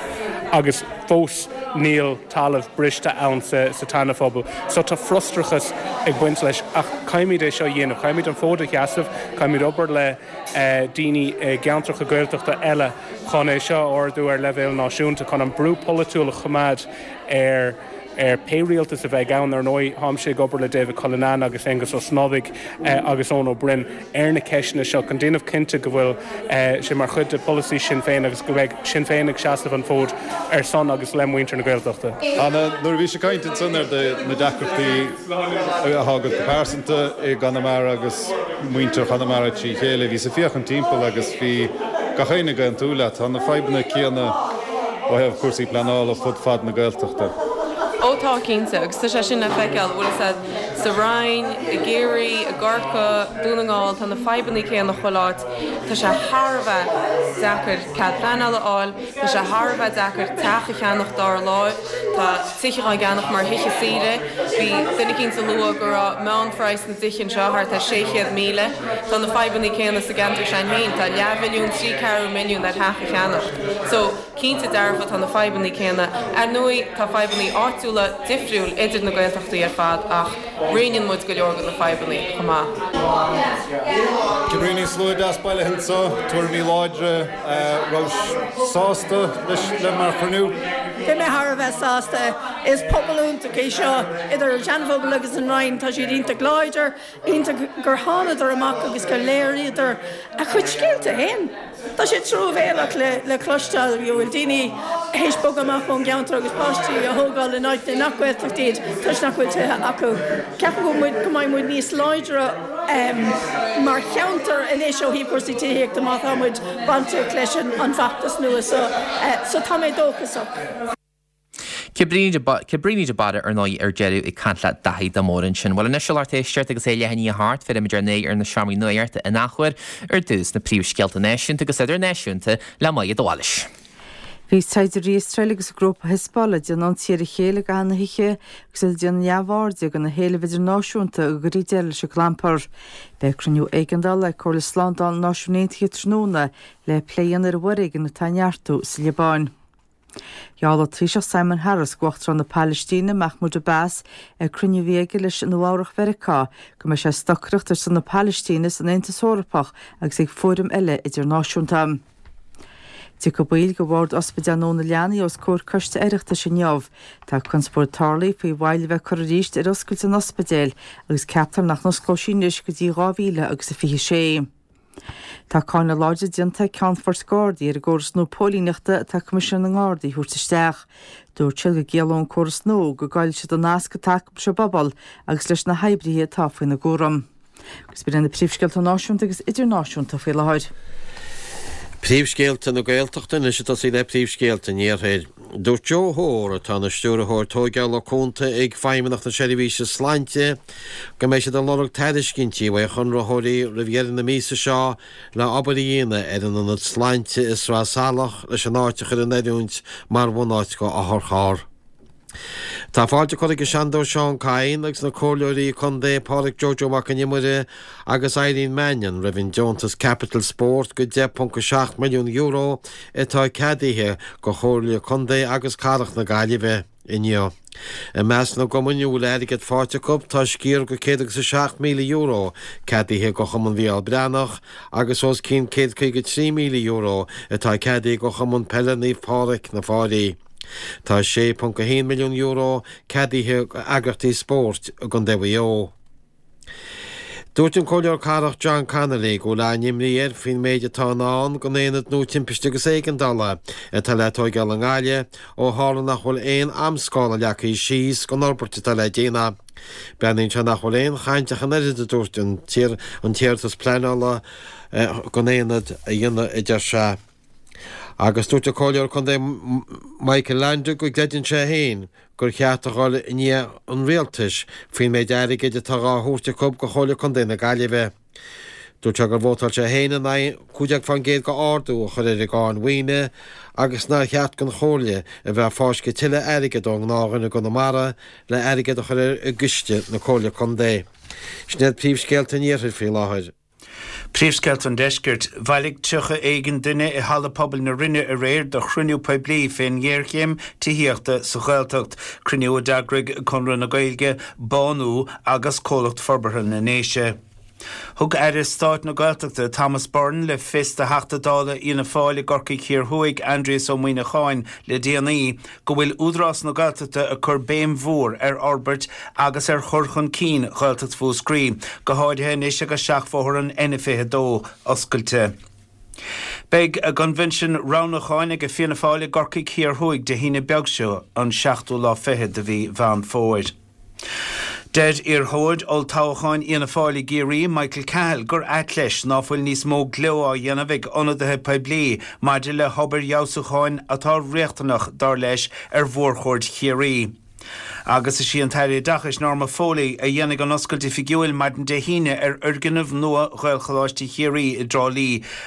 agus fós níl talamh briste ann sa tSeana-Phobal. So tá frustrachas ag baint leis ach caithfimid é seo a dhéanamh, caithfimid an fód a sheasamh, caithfimid obair le daoine i gceantracha Gaeltachta eile chun é seo a ardú ar leibhéal náisiúnta, chun an brú polaitiúil a choimeád ar ar pé rialtas a bheidh ann. Ar ndóigh, táimse ag obair le David Cullinane agus Aengus Ó Snodaigh agus Eoin Ó Broin ar na ceisteanna seo chun déanamh cinnte go bhfuil sé mar chuid de pholasaí Sinn Féin agus go mbeidh Sinn Féin ag seasamh an fóid ar son agus le muintir na Gaeltachta. Anna, nuair a bhís ag caint ansan ar na deacrachtaí atá agat go pearsanta i gConamara agus muintir Chonamara trí chéile, bhíos ag féachaint timpeall agus bhí gach éinne ag aontú leat. Tá na fadhbanna céanna ó thaobh cúrsaí pleanála fud fad na Gaeltachta. Ó tá, cinnte, agus tá sé sin le feiceáil, bhfuil fhios a'd, sa Rinn, i gCiarraí, i gCorcaigh, Dún na nGall, tá na fadhbannaí céanna chuile áit. Tá sé thar a bheith deacair cead pleanála a fháil, tá sé thar a bheith deacair teach a cheannach dara láimh, tá tithe á gceannach mar thithe saoire. Bhí duine eicínt a lua go raibh meánphraghas na dtithe anseo thart ar sé chéad míle. Tá na fadhbannaí céanna sa gceantar s'againn féin, tá leathmhilliún, trí ceathrú milliún ar theach a cheannach. So. Cinnte dearfa tá na fadhbanna céanna. Ar ndóigh tá fadhbanna áitiúla difriúil idir na Gaeltachtaí ar fad ach roinneann muid go leor de na fadhbanna chomh maith. Cabríní slua deas bailithe anseo, tuairimí láidre, raibh sásta leis le mar chruinniú? Bhí mé thar a bheith sásta. Is pobal iontach é seo idir an Seanphobal agus an Rinn, tá siad iontach láidir, iontach gur thánadar amach agus gur léiríodar a chuid scéalta féin. Tá sé truamhéalach le le cloisteáil go bhfuil daoine théis bogadh amach ón gceantar agus páistí a thógáil in áiteanna nach Gaeltacht iad toisc nach bhfuil tithe acu. Ceapaim go bhfuil go mbeidh muid níos láidre mar cheantar anois ó thaobh cúrsaí tithíochta má tá muid bainteach leis an bhfeachtas nua so so tá mé dóchasach. Cabríní de Barra ar ndóigh ar deireadh ag caint le Daithí de Mór ansin. Bhuel anois a lucht éisteachta agus é leath i ndiaidh a hocht, feicimid ar ndóigh ar na seomraí nuachta in athuair ar dtús na príomhscéalta náisiúnta agus idirnáisiúnta le Maighread Wallace. Bhí saighdiúirí Iosrael agus an grúpa Hezbollah ag déanamh ionsaí ar a chéile i gcaitheamh na hoíche agus iad ag déanamh neamhairde de na héilimh idirnáisiúnta go gcuirfí deireadh leis an gclampar. Beidh cruinniú éigeandála ag Comhairle Slándála na Náisiún Aontaithe tráthnóna le plé a dhéanamh ar an bhforéigean atá ag neartú sa Liobáin. Gheall an Taoiseach Simon Harris d'Uachtarán na Palaistíne, Mahmoud Abbas, ag cruinniú a bhí aige leis i Nua-Eabhrac Mheiriceá, go mbeidh sé ag stocaireacht ar son na Palaistíne san Aontas Eorpach agus ag fóraim eile idirnáisiúnta. Tiocfaidh baill de bhord Ospidéal Nua na Leanaí os comhair Coiste Oireachtais inniu. Tá conspóid tarlaithe faoi mhoill a bheith curtha arís ar oscailt an ospidéil agus ceaptar nach n-osclóidh sí anois go dtí dhá mhíle agus a fiche sé. Tá cáineadh láidir déanta ag Ceannfoirt Gardaí ar an gcóras nua póilíneachta atá Coimisinéir na nGardaí a thabhairt isteach. Dúirt siad go gciallódh an córas nua go gcaillfidh siad an nasc atá acu leis an bpobal agus leis na hoibrithe atá faoina gcúram. Agus b'in iad na príomhscéalta náisiúnta agus idirnáisiúnta faoi láthair. Príomhscéalta na Gaeltachta anois ag tosaí le príomhscéalta an Iarthair. Dúirt Joe Hoare, atá ina Stiúrthóir Tóigeála Cúnta ag Feidhmeannacht na Seirbhíse Sláinte, go mbeidh siad ag lorg tairiscintí uaidh chonraitheoirí roimh dheireadh na míosa seo le obair a dhéanamh ar an ionad sláinte i Sraith Salach leis an áit a chur in oiriúint mar bhunáit go otharcharr. Tá fáilte curtha ag an Seanadóir Seán Kyne agus na Comhairleoirí Contae Pádraig Joe Joe Mac an Iomaire agus Eileen Mannion roimh an deontas Capital Sport go deich ponc a seacht milliún euro atá ceadaithe go Chomhairle Contae agus Cathrach na Gaillimhe inniu. I measc na gcumainn a bhfuil airgead faighte acu tá sciar go céad agus a seacht míle euro ceadaithe go Chumann Mhícheál Breathnach agus os cionn céad caoga trí míle euro atá ceadaithe go Chumann Peile Naomh Pádraig na Fáilí. Tá sé ponc a haon milliún euro ceadaithe d'eagraíochtaí spóirt i gContae Mhaigh Eo. Dúirt an Comhairleoir Cathrach John Connolly go bhfuil an-imní air faoin méid atá i ndán don aonad nua timpiste agus éigeandála atá le tóigeáil i nGaillimh ó tharla nach bhfuil aon amscála leagtha síos don fhorbairt atá le déanamh. Breathnaíonn sé nach bhfuil aon chaint ach an oiread, a dúirt an t-iarratas pleanála don aonad a dhéanamh, a deir sé. Agus dúirt an Comhairleoir Contae Michael Leainde go gcreideann sé féin gur cheart a dhul i ndiaidh an Rialtais faoin méid airgid atá dhá thabhairt acu go Chomhairle Contae na Gaillimhe. Dúirt sé gur vótáil sé féin in aghaidh cúig déag faoin gcéad d'ardú a chur ar an gcáin mhaoine agus nár cheart don Chomhairle a bheith ag fáisceadh tuilleadh airgid ón ngnáthdhuine i gConamara le airgead a chur i gciste na Comhairle Contae. Sin iad príomhscéalta an Iarthair faoi láthair. Príomhscéalta an Deiscirt. Bhailigh tríocha éigin duine i Halla Pobail na Rinne aréir do chruinniú poiblí fén ngéarchéim tithíochta sa Ghaeltacht, cruinniú a d'eagraigh Conradh na Gaeilge, Bánú agus Comhlacht Forbartha na nDéise. Thug Aire Stáit na Gaeltachta Thomas Byrne le fios do Theachta Dála Fhianna Fáil i gCorcaigh Thiar Thuaidh, Aindrias Ó Muimhneacháin, le déanaí go bhfuil Údarás na Gaeltachta ag cur béim mhór ar fhorbairt agus ar chur chun cinn Ghaeltacht Mhúscraí, go háirithe anois agus seachbhóthar an N fiche a dó oscailte. Beidh a gcoinbhinsean roghnúcháin ag Fianna Fáil i gCorcaigh Thiar Thuaidh Dé hAoine beag seo, an seachtú lá fichead de mhí Mheán Fómhair. Deir iarrthóir olltoghcháin Fhianna Fáil i gCiarraí, Michael Cahill, gur ait leis ná fuil níos mó gleo á dhéanamh ag ionadaithe poiblí maidir le hobair fheabhsúcháin atá riachtanach, dar leis, ar mhórchuaird Chiarraí. Agus is í an tAire Oideachais Norma Foley a dhéanfaidh an oscailt oifigiúil maidin Dé hAoine ar fhoirgneamh nua Ghaelcholáiste Chiarraí i dTrá Lí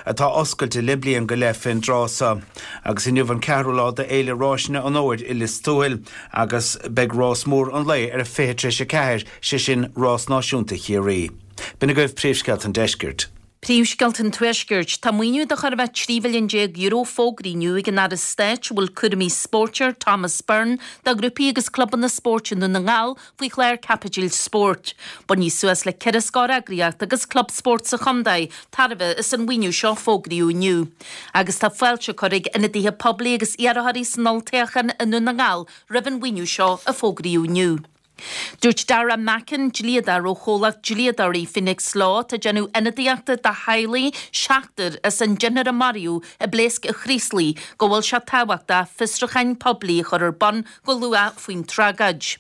atá oscailte le bliain go leith fén dtráth so. Agus inniu an ceathrú lá d'Fhéile Ráiseanna an Fhómhair i Lios Tuathail. Agus beidh rás mór an lae ar a fiche tar éis a ceathair, sé sin Rás Náisiúnta Chiarraí. B'in agaibh príomhscéalta an deiscirt. Príomhscéalta an Tuaiscirt. Tá maoiniú de chóir a bheith trí mhilliún déag euro fógraithe inniu ag an Aire Stáit a bhfuil cúraimí spóirt air, Thomas Byrne, do ghrúpaí agus clubanna spóirt i nDún na nGall faoi chlár Caipitil Spóirt. Bainfidh suas le ceithre scór eagraíocht agus club spóirt sa chontae tairbhe as an mhaoiniú seo a fógraíodh inniu. Agus tá fáilte curtha ag ionadaithe poiblí agus iarrthóirí san olltoghchán i nDún na nGall roimh an mhaoiniú seo a fógraíodh inniu. Dúirt Dara Mackin, dlíodóir ó chomhlacht dlíodóirí Phoenix Law atá ag déanamh ionadaíochta do theaghlaigh seachtar as an deichniúr a maraíodh i bpléasc an Chraoslaigh, go bhfuil sé tábhachtach fiosrúcháin poiblí a chur ar bun go luath faoin tragóid.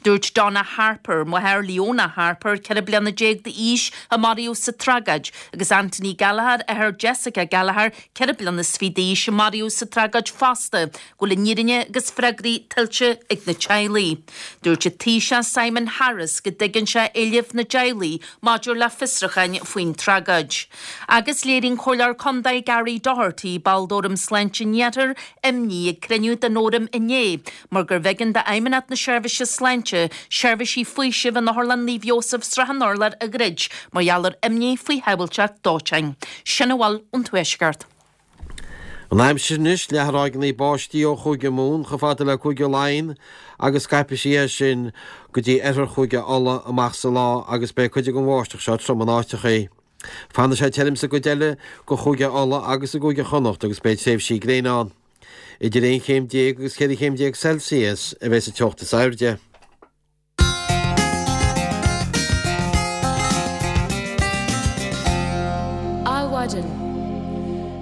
Dúirt Donna Harper, máthair Leona Harper, ceithre bliana déag d'aois, a maraíodh sa tragóid, agus Anthony Gallagher, athair Jessica Gallagher, ceithre bliana is fiche d'aois, a maraíodh sa tragóid fosta, go bhfuil an fhírinne agus freagraí tuillte ag na teaghlaigh. Dúirt an Taoiseach Simon Harris go dtuigeann sé éilimh na dteaghlaigh maidir le fiosrúcháin faoin tragóid. Agus léirigh an Comhairleoir Contae Gary Doherty, ball d'Fhóram Sláinte an Iarthair, imní ag cruinniú den fhóram inné mar gurbh éigean d'Fheidhmeannacht na Seirbhíse Sláinte seirbhísí faoisimh in Otharlann Naomh Iósaf Srath an Urláir a dhruid mar gheall ar imní faoi shábháilteacht dóiteáin. Sin a bhfuil ón Tuaisceart. An aimsir anois, leathfaidh ráigeanna báistí ó Chúige Mumhan chomh fada le Cúige Laighean agus scaipfidh sí as sin go dtí oirthear Chúige Uladh amach sa lá agus beidh cuid den bháisteach seo trom in áiteachaí. Fanfaidh sé tirim sa gcuid eile de Chúige Uladh agus i gCúige Chonnacht agus beidh tréimhsí gréine ann. Idir aon chéim déag agus ceithre chéim déag Celsius a bheidh sa teocht is airde. Adhmhaidin.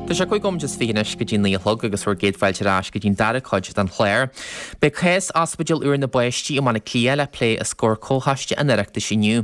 Tá sé cúig nóiméad is fiche anois go dtí naoi a chlog agus bhur gcéad fáilte ar ais go dtí'n dara cuid den chlár. Beidh cás Ospidéal úr na bPáistí i mBaile Átha Cliath le plé os comhair Comhchoiste an Oireachtais inniu.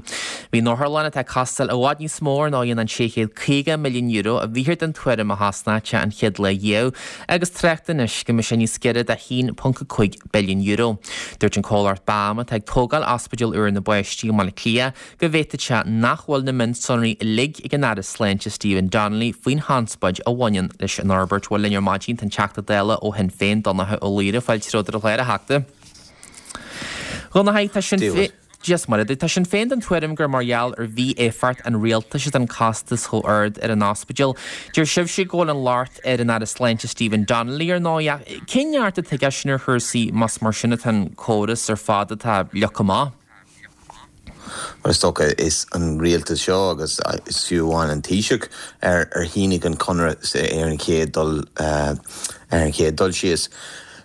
Bhí an otharlann atá ag costáil i bhfad níos mó ar ndóigh ná an sé chéad caoga milliún euro a bhíthear den tuairim a thosnódh sé an chéad lá dhiaidh agus trácht anois go mbeidh sé níos giorra do haon ponc a cúig billiún euro. Dúirt an comhlacht BAM atá ag tógáil Ospidéal úr na bPáistí i mBaile Átha Cliath go bhféadfadh sé nach bhfuil na mionsonraí uilig ag an Aire Sláinte Stephen Donnelly faoin chonspóid a bhaineann leis an fhorbairt. Bhuel linn ar maidin tá an Teachta Dála ó Shinn Féin, Donnchadh Ó Laoghaire, fáilte romhat ar an chlár, a Theachta. Dhonncha, tá Sinn Féin Dia is Muire duit. Tá Sinn Féin den tuairim gur mar gheall ar mhí-éifeacht an rialtais atá an costas chomh ard ar an ospidéal. Deir sibhse go bhfuil an locht ar an Aire Sláinte Stephen Donnelly ar ndóigh ach cén neart atá aige sin ar chúrsaí más mar sin atá an córas ar fad atá leagtha amach? Mar is dócha is an rialtas seo agus is fiú amháin an Taoiseach ar ar shínigh an conradh ar an chéad dul ar an chéad dul síos.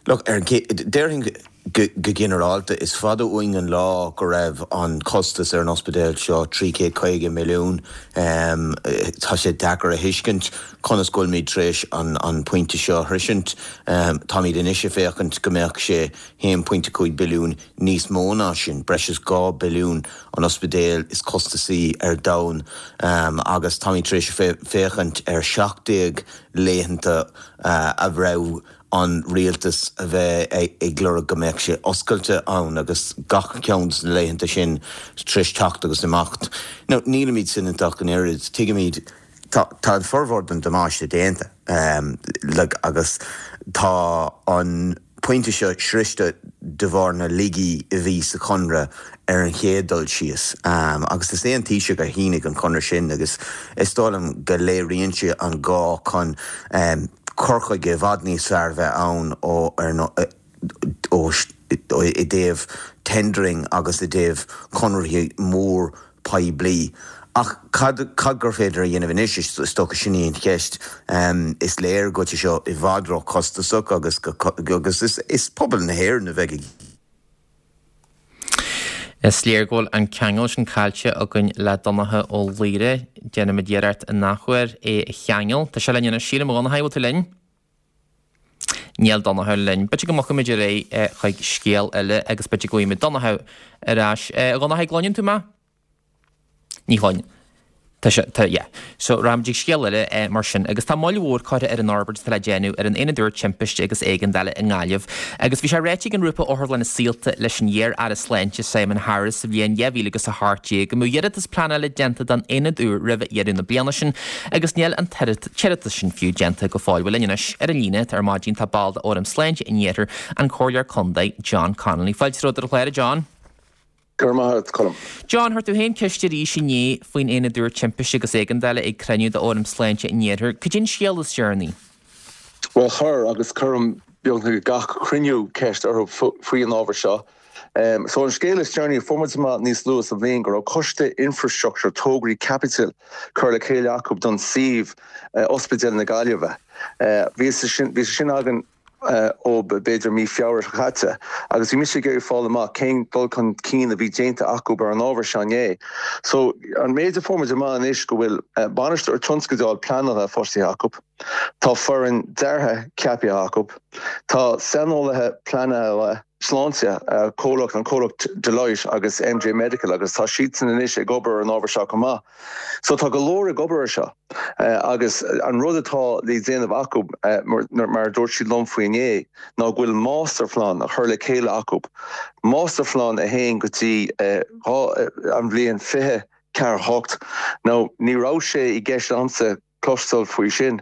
Look, ar an déarfainn go go ginearálta is fada uainn an lá go raibh an costas ar an ospidéal seo trí chéad caoga milliún. Tá sé deacair a thuiscint conas go bhfuilimid tar éis an an pointe seo a shroisint. Táimid anois ag féachaint go mbeadh sé haon pointe cúig billiún níos mó ná sin, breis is dhá billiún, an ospidéal is costasaí ar domhan agus táimid tar éis féachaint ar seacht déag laethanta a raibh an rialtas a bheith ag lorg go mbeadh sé oscailte ann agus gach ceann de na laethanta sin tar éis teacht agus imeacht. Now nílimid soineanta ach an oiread, tuigimid tá tá an formhór den damáiste déanta like agus tá an pointe seo sroichte de bharr na laigí a bhí sa chonradh ar an chéad dul síos. Agus is é an Taoiseach a shínigh an conradh sin agus is dóigh liom go léiríonn sé an gá chun cur chuige i bhfad níos fearr a bheith ann ó ó i dtaobh tendering agus i dtaobh conarthaí mór poiblí. Ach cad cad gur féidir a dhéanamh anois, is dócha sin í an cheist. Is léir go bhfuil sé seo i bhfad ró-chostasach agus agus is is pobal na hÉireann a bheidh ag Is léir go bhfuil an ceangal sin caillte againn le Donncha Ó Laoghaire. Déanfaimid iarracht an athuair é a cheangal. Tá sé linn anois, sílim, a Dhonncha, bhfuil tú linn? Níl Donncha linn. B'fhéidir go mbogfaimid ar aghaidh chuig scéal eile agus b'fhéidir go bhfaighimid Donncha ar ais. A Dhonncha, gcluineann tú mé? Ní chluin. Tá sé, tá, yeah. So, rachaimid ag scéal eile eh, mar sin. Agus tá moill mhór curtha ar an fhorbairt atá le déanamh ar an Aonad úr Timpiste agus Éigeandála i nGaillimh. Agus bhí sé ráite ag an ngrúpa Otharlanna Saolta leis an iar-Aire Sláinte Simon Harris sa bhliain dhá mhíle agus a hocht déag go mbeadh iarratas pleanála déanta don aonad úr roimh dheireadh na bliana sin agus níl an t-iarratas sin fiú déanta go fóill. Bhuel linn anois ar an líne ar maidin tá ball de Fhóram Sláinte an Iarthair, an Comhairleoir Contae John Connolly. Fáilte romhat ar an chlár, a John. Go raibh maith agat, Colm. John, chuir tú féin ceist arís inné faoin Aonad úr Timpiste agus Éigeandála ag cruinniú d'Fhóram Sláinte an Iarthair. Cad é an scéal is deireanaí? Bhuel, chuir, agus cuirim beagnach gach cruinniú ceist orthu faoi an ábhar seo. So an scéal is deireanaí, fuair muid amach níos luaithe sa bhliain go raibh coiste infrastructure tograí caipitil curtha le chéile acu don suíomh Ospidéal na Gaillimhe. Bhí sé sin againn ó b'fhéidir mí Feabhra seo caite agus bhí mise ag iarraidh fáil amach cén dul chun cinn a bhí déanta acu ar an ábhar seo inné. So an méid a fuair muid amach anois go bhfuil bainisteoir tionscadail pleanála fostaithe acu, tá foireann deartha ceaptha acu, tá saineolaithe pleanála sláinte, comhlacht an comhlacht Deloitte agus M J Medical agus tá siadsan anois ag obair ar an ábhar seo chomh maith. So tá go leor ag obair ar seo agus an rud atá le déanamh acu mar a dúirt siad liom faoi inné ná go bhfuil máistirphlean á chur le chéile acu. Máistirphlean a théann go dtí an bhliain fiche ceathair hocht. Now ní raibh sé i gceist agamsa cloisteáil faoi sin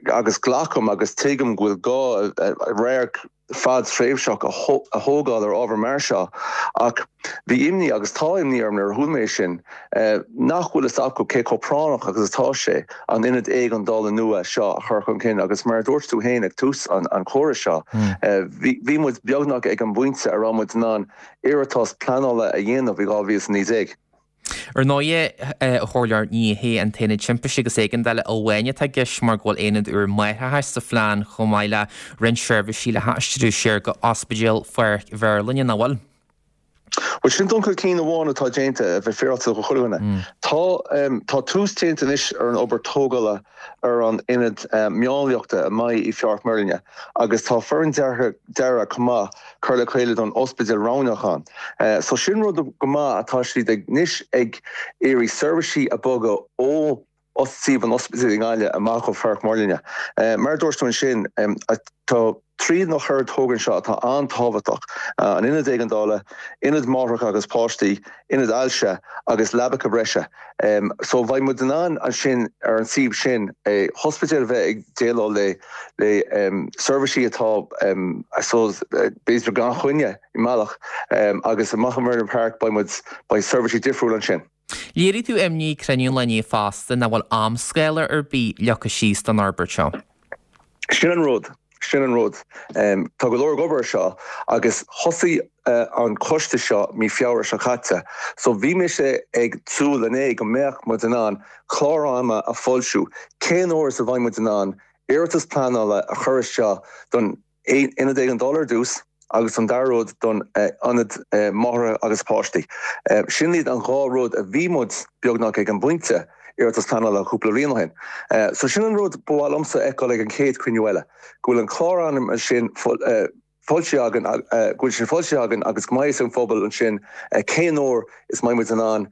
agus glacaim agus tuigim go bhfuil gá radharc fadtréimhseach a thógáil ar ábhar mar seo ach bhí imní agus tá imní orm nuair a chuala mé sin nach bhfuil fhios acu cé chomh práinneach agus atá sé an ionad éigeandála nua seo a chur chun cinn agus mar a dúirt tú féin ag tús an an chomhrá seo bhí muid beagnach ag an bpointe a raibh muid in ann iarratas pleanála a dhéanamh i dhá mhíle is a naoi déag. Ar ndóigh, a Chomhairleoir, ní hé an tAonad Timpiste agus Éigeandála amháin atá i gceist mar go bhfuil aonad úr máithreachais sa phlean chomh maith le roinnt seirbhísí le haistriú siar go Ospidéal Pháirc Mherlin, nach bhfuil? Bhuel sin dul chun cinn amháin atá déanta a bheith féaráilte do chuile dhuine. Tá tá tús déanta anois ar an obair tógála ar an ionad máinliachta a mbeidh i Pháirc Mheirlinne agus tá foireann deartha dearadh chomh maith cur le chéile don ospidéal roghnach ann. So sin rud go maith atá siad ag anois ag iarraidh seirbhísí a bhogadh ó suíomh an ospidéil i nGaillimh amach ó Pháirc Mheirlinne. Mar a dúirt tú ansin, tá trí nó ceithre togra anseo atá an-tábhachtach, an ionad éigeandála, ionad máithreacha agus páistí, ionad ailse agus leabacha breise. So bheidh muid in ann ansin ar an suíomh sin ospidéal a bheith ag déileáil le le seirbhísí atá I suppose b'fhéidir gan choinne i mbealach agus amach i Merlin Park beidh muid beidh seirbhísí difriúil ansin. Léirigh tú imní ag cruinniú an lae inné fosta nach bhfuil amscála ar bith leagtha síos don fhorbairt seo. Sin an rud. Sin an rud. Tá go leor ag obair ar seo agus thosaigh an coiste seo mí Feabhra seo caite. So bhí mise ag súil inné go mbeadh muid in ann clár ama a fhoilsiú cén uair is a bheidh muid in ann iarratas pleanála a chur isteach don ionad éigeandála ar dtús agus an dara rud don ionad máithreacha agus páistí. Sin iad an dhá rud a bhí muid beagnach ag an bpointe iarratas pleanála cúpla bliain ó shin. So sin an rud ba mhaith liomsa a fheiceáil ag an chéad chruinniú eile, go bhfuil an clár ama sin foilsithe againn, go bhfuil sin foilsithe againn agus go mbeidh fhios ag an phobal ansin cén uair is mbeidh muid in ann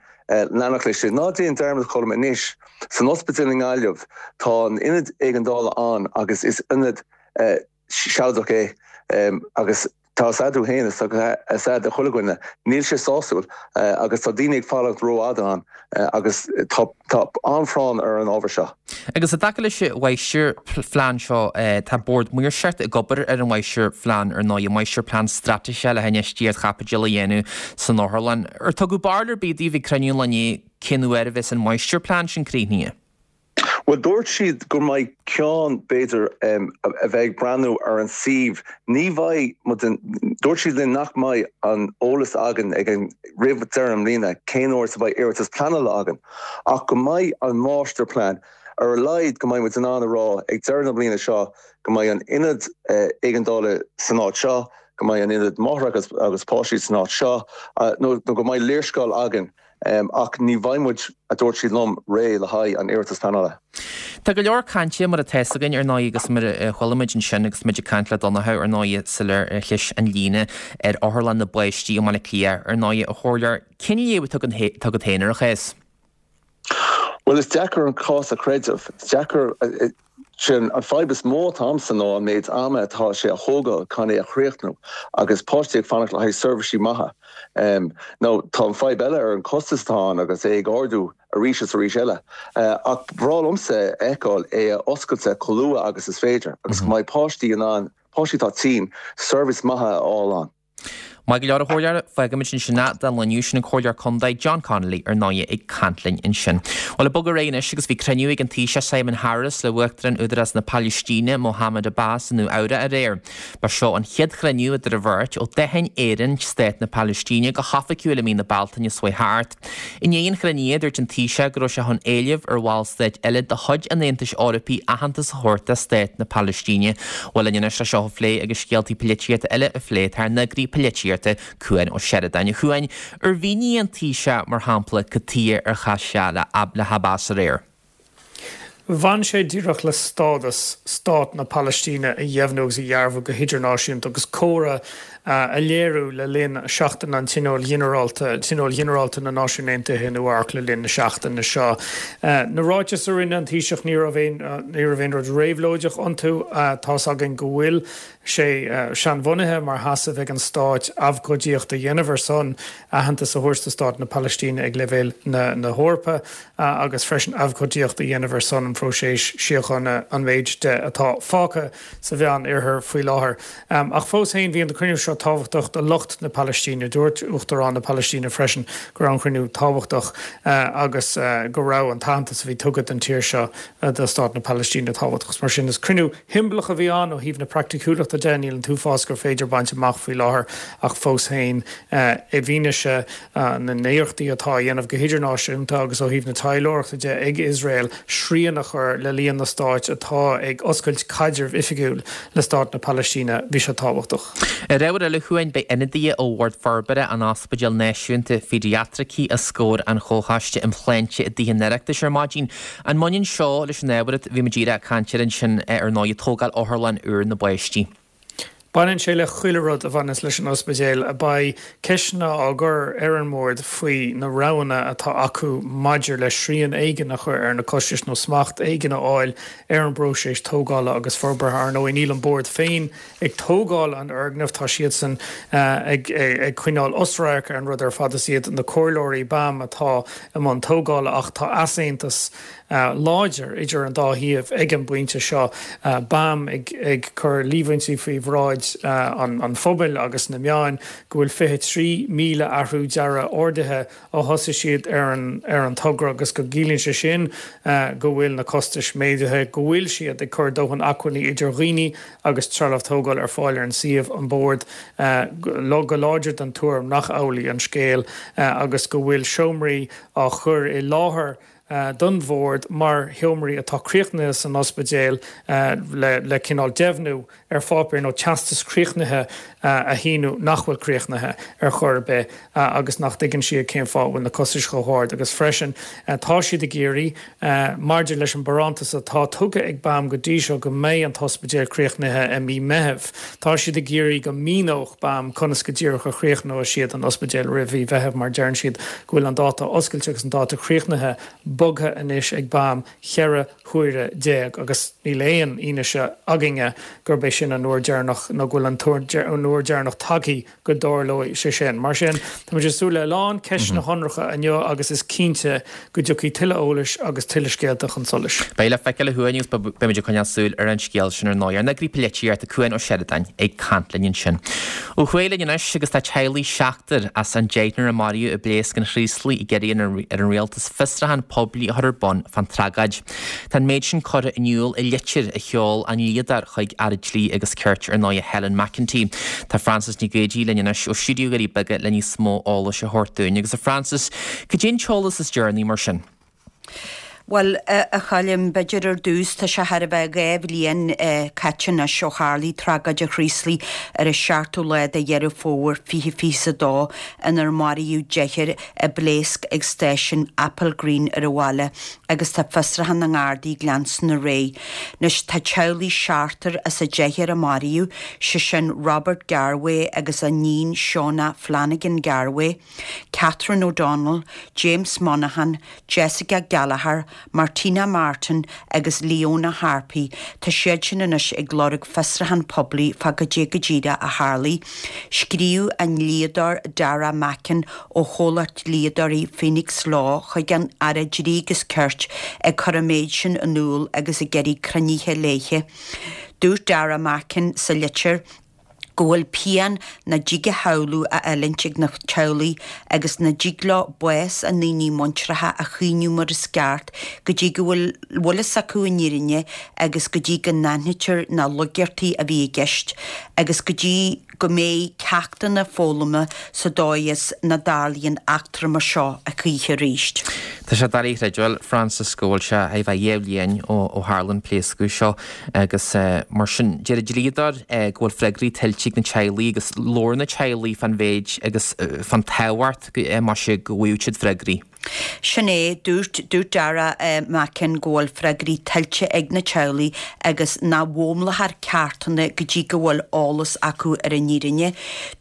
leanacht leis sin. Ná déan dearmad Colm anois, san ospidéal i nGaillimh tá an ionad éigeandála ann agus is ionad sealadach é agus tá a fhios agat féin is tá a fhios ag chuile dhuine, níl sé sásúil agus tá daoine ag fanacht rófhada ann agus tá tá an-phráinn ar an ábhar seo. Agus i dtaca leis an mháistirphlean seo, tá Bord Maoirseachta ag obair ar an mháistirphlean ar ndóigh, máistirphlean straitéise le hinfheistíocht chaipitil a dhéanamh san otharlann. Ar tugadh barúil ar bith daoibh ag cruinniú an lae inné cén uair a bheas an máistirphlean sin críochnaithe? Bhuel, dúirt siad go mbeidh ceann, b'fhéidir, a bheidh ag breathnú ar an suíomh. Ní bheidh muid, dúirt siad linn nach mbeidh an eolas againn ag an, roimh deireadh na bliana cén uair is a bheidh iarratas pleanála againn, ach go mbeidh an máistirphlean, ar a laghad go mbeidh muid in ann a rá ag deireadh na bliana seo go mbeidh an ionad éigeandála san áit seo, go mbeidh an ionad máithreacha agus páistí san áit seo, nó go mbeidh léarscáil againn. Ach ní bheidh muid, a dúirt siad liom, réidh le haghaidh an iarratas pleanála. Tá go leor cainte, mar atá fhios againn, ar ndóigh, agus mar a chuala muid ansin agus muid ag caint le Donncha, ar ndóigh, sular chlis an líne ar Otharlann na bPáistí i mBaile Átha Cliath, ar ndóigh, a Chomhairleoir, cén léamh atá agat féin ar an chás? Bhuel, is deacair an cás a chreideamh. Is deacair. Sin an fadhb is mó atá agamsa ná an méid ama atá sé a thógáil chun é a chríochnú agus páistí ag fanacht le haghaidh seirbhísí maithe. Nó tá an fadhb eile ar an costas atá ann agus é ag ardú arís is arís eile. Ach ba bhreá liomsa a fheiceáil é a oscailte chomh luath agus is féidir agus go mbeidh páistí in ann, páistí atá tinn, seirbhís maithe a fháil ann. Maith go leor a chomhairleoir, fágfaimid ansin é don lá inniu sin an Comhairleoir Contae John Connolly ar ndóigh ag caint linn ansin. Bhuel ag bogadh ar aghaidh anois agus bhí cruinniú ag an Taoiseach Simon Harris le Uachtarán Údarás na Palaistíne Mohammed Abbas i Nua Eabhrac aréir. Ba seo an chéad chruinniú idir an bheirt ó d'aithin Éirinn stát na Palaistíne go hoifigiúil i mí na Bealtaine seo chuaigh thart. I ndiaidh an chruinnithe dúirt an Taoiseach go raibh sé chun éileamh ar bhallstáit eile de chuid an Aontais Eorpaigh aitheantas a thabhairt do stát na Palaistíne. Bhuel linn anois le seo a phlé agus scéaltaí polaitíochta eile a phlé tá ár n-eagraí polaitíochta Cuan Ó Seireadáin. A Chuain, ar mhínigh an Taoiseach mar shampla cad chuige ar chas sé le hAbbas aréir? Bhain sé díreach le stádas Stát na Palaistíne a dheimhniú agus a dhearbhu go hidirnáisiúnta agus comhartha a léiriú le linn Seachtain an Tionóil Ghinearálta, Tionól Ginearálta na Náisiún Aontaithe i Nua Eabhrac le linn na seachtaine seo. Na ráitis a rinne an Taoiseach ní raibh aon ní raibh aon rud réabhlóideach iontu. Tá's againn go bhfuil sé seanbhunaithe mar sheasamh ag an Stát abhcóidíocht a dhéanamh ar son aitheantas a thabhairt do Stát na Palaistíne ag leibhéal na na hEorpa agus freisin abhcóidíocht a dhéanamh ar son an phróiseas síochána an méid de atá fágtha sa Mheánoirthear faoi láthair. Ach fós féin bhí an cruinniú seo tábhachtach do lucht na Palaistíne. Dúirt Uachtarán na Palaistíne freisin go raibh an cruinniú tábhachtach agus go raibh an t-aitheantas a bhí tugtha don tír seo do Stát na Palaistíne tábhachtach. Mar sin is cruinniú shiombalach a bhí ann ó thaobh na praiticiúlachta de, níl an t-uafás gur féidir baint amach faoi láthair ach fós féin i bhfianaise na n-iarrachtaí atá á dhéanamh go hidirnáisiúnta agus ó thaobh na taidhleoireachta de ag Iosrael srian a chur le líon na stáit atá ag oscailt caidreamh oifigiúil le Stát na Palaistíne, bhí sé tábhachtach. Ar ábhar eile, a Chuain, beidh ionadaithe ó Bhord Forbartha an Ospidéil Náisiúnta Phéidiatraice os comhair an Chomhchoiste um Shláinte i dTithe an Oireachtais ar maidin. An mbaineann seo leis an ábhar a bhí muid díreach ag caint air ansin ar ndóigh, tógáil otharlann úr na bpáistí? Baineann sé le chuile rud a bhaineas leis an ospidéal. Beidh ceisteanna á gcur ar an mbord faoi na roghanna atá acu maidir le srian éigin a chur ar na costais nó smacht éigin a fháil ar an bpróiseas tógála agus forbartha. Ar ndóigh, níl an bord féin ag tógáil an fhoirgnimh, tá siadsan ag ag coinneáil osradharc ar an rud ar fad. Is iad na comhairleoirí BAM atá i mbun tógála ach tá easaontas láidir idir an dá thaobh ag an bpointe seo, BAM ag ag cur líomhaintí faoi bhráid an phobail agus na meáin go bhfuil fiche trí míle athrú dearaidh ordaithe ó thosaigh siad ar an ar an togra agus go gciallaíonn sé sin go bhfuil na costais méadaithe, go bhfuil siad ag cur dóthain acmhainní idir dhaoine agus trealamh tógáil ar fáil ar an suíomh, an Bord go láidir den tuairim nach amhlaidh an scéal agus go bhfuil seomraí á chur i láthair don Bhord mar sheomraí atá críochnaithe san ospidéal le cineál deimhniú ar pháipéar nó teastas críochnaithe a shíniú nach bhfuil críochnaithe ar chor ar bith agus nach dtuigeann siad cén fáth a bhfuil na costais chomh hard agus freisin tá siad ag iarraidh maidir leis an barántas atá tugtha ag BAM go dtí seo go mbeidh an t-ospidéal críochnaithe i mí Meithimh. Tá siad ag iarraidh go míneodh BAM conas go díreach a chríochnóidh siad an ospidéal roimh mhí Mheithimh mar deireann siad go bhfuil an dáta oscailte agus an dáta críochnaithe bogtha anois ag BAM ceithre huaire déag agus níl aon fhianaise againne gurb é sin an uair dheireanach nó go bhfuil an uair dheireanach tagtha go dtarlóidh sé sin. Mar sin, táimid ag súil le a lán ceisteanna shonracha inniu agus is cinnte go dtiocfaidh tuilleadh eolais agus tuilleadh scéalta chun solais. Beidh le feiceáil a Chuain agus beimid ag coinneáil súil ar an scéal sin ar ndóigh. Ár n-eagraí polaitíochta Cuan Ó Seireadáin ag caint linn ansin. Ó thuaidh linn anois agus tá teaghlaigh seachtar as an deichniúr a maraíodh i bpléasc an Chraoslaigh ag iarraidh ar an rialtas fiosrúchán poiblí a chur ar bun fán tragóid. Tá an méid sin curtha in iúl i litir a sheol a ndlíodóir chuig Aire Dlí agus Cirt ar ndóigh Helen McEntee. Tá Frances Nic Géadaigh linn anois ó stiúideo Dhoirí Beaga le níos mó eolais a thabhairt dúinn. Agus a Frances, cad é an t-eolas is deireanaí mar sin? Bhuel, a Choilm, b'fhéidir ar dtús, tá sé thar a bheith dhá bhliain caite anois ó tharlaigh tragóid an Chraoslaigh ar an seachtú lá de Dheireadh Fómhair fiche fiche a dó inar maraíodh deichniúr i bpléasc ag stáisiún Applegreen ar an bhaile agus tá fiosrúchán na nGardaí ag leanstan ar aghaidh. Anois tá teaghlaigh seachtar as an deichniúr a maraíodh, sé sin Robert Garwe agus a iníon Shona Flanagan Garwe, Catherine O'Donnell, James Monaghan, Jessica Gallagher, Martina Martin agus Leona Harpy, tá siad sin anois ag lorg fiosrúchán poiblí fá goidé go díreach a tharlaigh. Scríobh a ndlíodóir Dara Mackin ó chomhlacht dlíodóirí Phoenix Law chuig an Aire Dlí agus Cirt ag cur an méid sin in iúl agus ag iarraidh cruinnithe léithe. Dúirt Dara Mackin sa litir, go bhfuil pian nach dtig a shamhlú á fhulaingt ag na teaghlaigh agus nach dtig leo bás a ndaoine muinteartha a chaoineadh mar is ceart go dtí go bhfuil bhfuil fhios acu an fhírinne agus go dtí go n-aithnítear na laigeartaí a bhí i gceist agus go dtí go mbeidh ceachtanna foghlamtha sa dóigh is nach dtarlaíonn eachtra mar seo a choíche arís. Tá sé doiligh a chreidbheáil, Frances, go bhfuil sé a bheith dhá bhliain ó ó tharla an pléascadh seo agus mar sin deir an dlíodóir go bhfuil freagraí tuillte ag na teaghlaigh agus labhair na teaghlaigh fán mhéid agus fán tábhacht más ea go bhfaigheadh siad freagraí. Sin é, dúirt dúirt Dara Mackin go bhfuil freagraí tuillte ag na teaghlaigh agus nach bhfoghlaimeofar ceartanna go dtí go bhfuil eolas acu ar an fhírinne.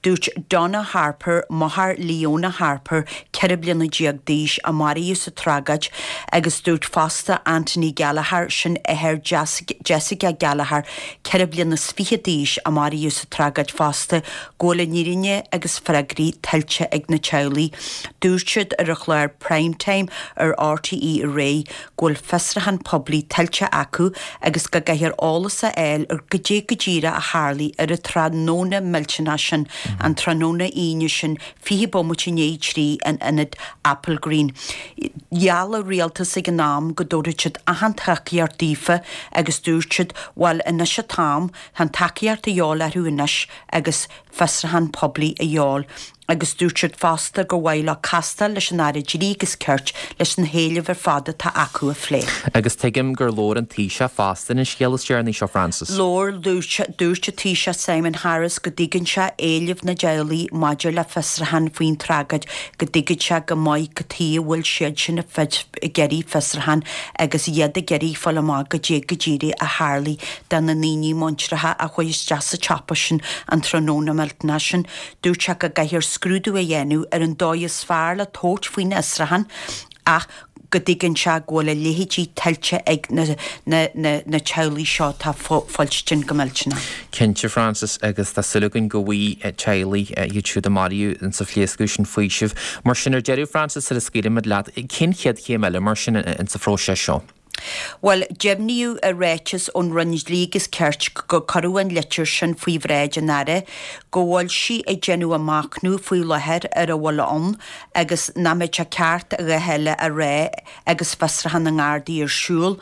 Dúirt Donna Harper, máthair Leona Harper, ceithre bliana déag d'aois, a maraíodh sa tragóid, agus dúirt fosta Anthony Gallagher, sin athair Jessica Gallagher, ceithre bliana is fiche d'aois, a maraíodh sa tragóid fosta, go bhfuil an fhírinne agus freagraí tuillte ag na teaghlaigh. Dúirt siad ar an chlár Prime Time ar RTÉ aréir go bhfuil fiosrúchán poiblí tuillte acu agus go gcaithfear eolas a fháil ar goidé go díreach a tharlaigh ar an tráthnóna millteanach sin, an tráthnóna Aoine sin, fiche bomaite i ndiaidh a trí in ionad Applegreen. Gheall an rialtas ag an am go dtabharfadh siad achan tacaíocht daofa agus dúirt siad, bhuel anois an t-am, tá an tacaíocht a dhíobháil orthu anois agus fiosrúchán poiblí a dhíobháil. Agus dúirt siad fosta gur mhaith leo castáil leis an Aire Dlí agus Cirt leis na héilimh ar fad atá acu a phlé. Agus tuigim gur labhair an Taoiseach fosta ar an scéal is deireanaí seo, Frances. Labhair, dúirt, dúirt an Taoiseach Simon Harris go dtuigeann sé éilimh na dteaghlaigh maidir le fiosrúchán faoin tragóid, go dtuigeann sé go maith cad chuige a bhfuil siad sin ag iarraidh fiosrúchán agus iad ag iarraidh fáil amach goidé go díreach a tharlaigh do na ndaoine muinteartha a chuaigh isteach sa tsiopa sin an tráthnóna millteanach sin. Dúirt sé go gcaithfear scrúdú a dhéanamh ar an dóigh is fearr le tabhairt faoin fhiosrúchán ach go dtuigeann sé go bhfuil a leithéidí tuillte ag na na na teaghlaigh seo atá fuilstin go millteanach. Cinnte, Frances, agus tá súil againn go bhfaighidh teaghlaigh iad siúd a maraíodh insa phléascadh sin faoiseamh. Mar sin, ar deireadh, Frances, sula scaoilimid leat, cén chéad chéim eile mar sin insa phróiseas seo? Bhuel, deimhníodh i ráiteas ón Roinn Dlí agus Cirt gur cuireadh an litir sin faoi bhráid an Aire, go bhfuil sí ag déanamh a machnamh faoi láthair ar a bhfuil ann agus nach mbeadh sé ceart a dhath eile a rá agus fiosrúchán na nGardaí ar siúl.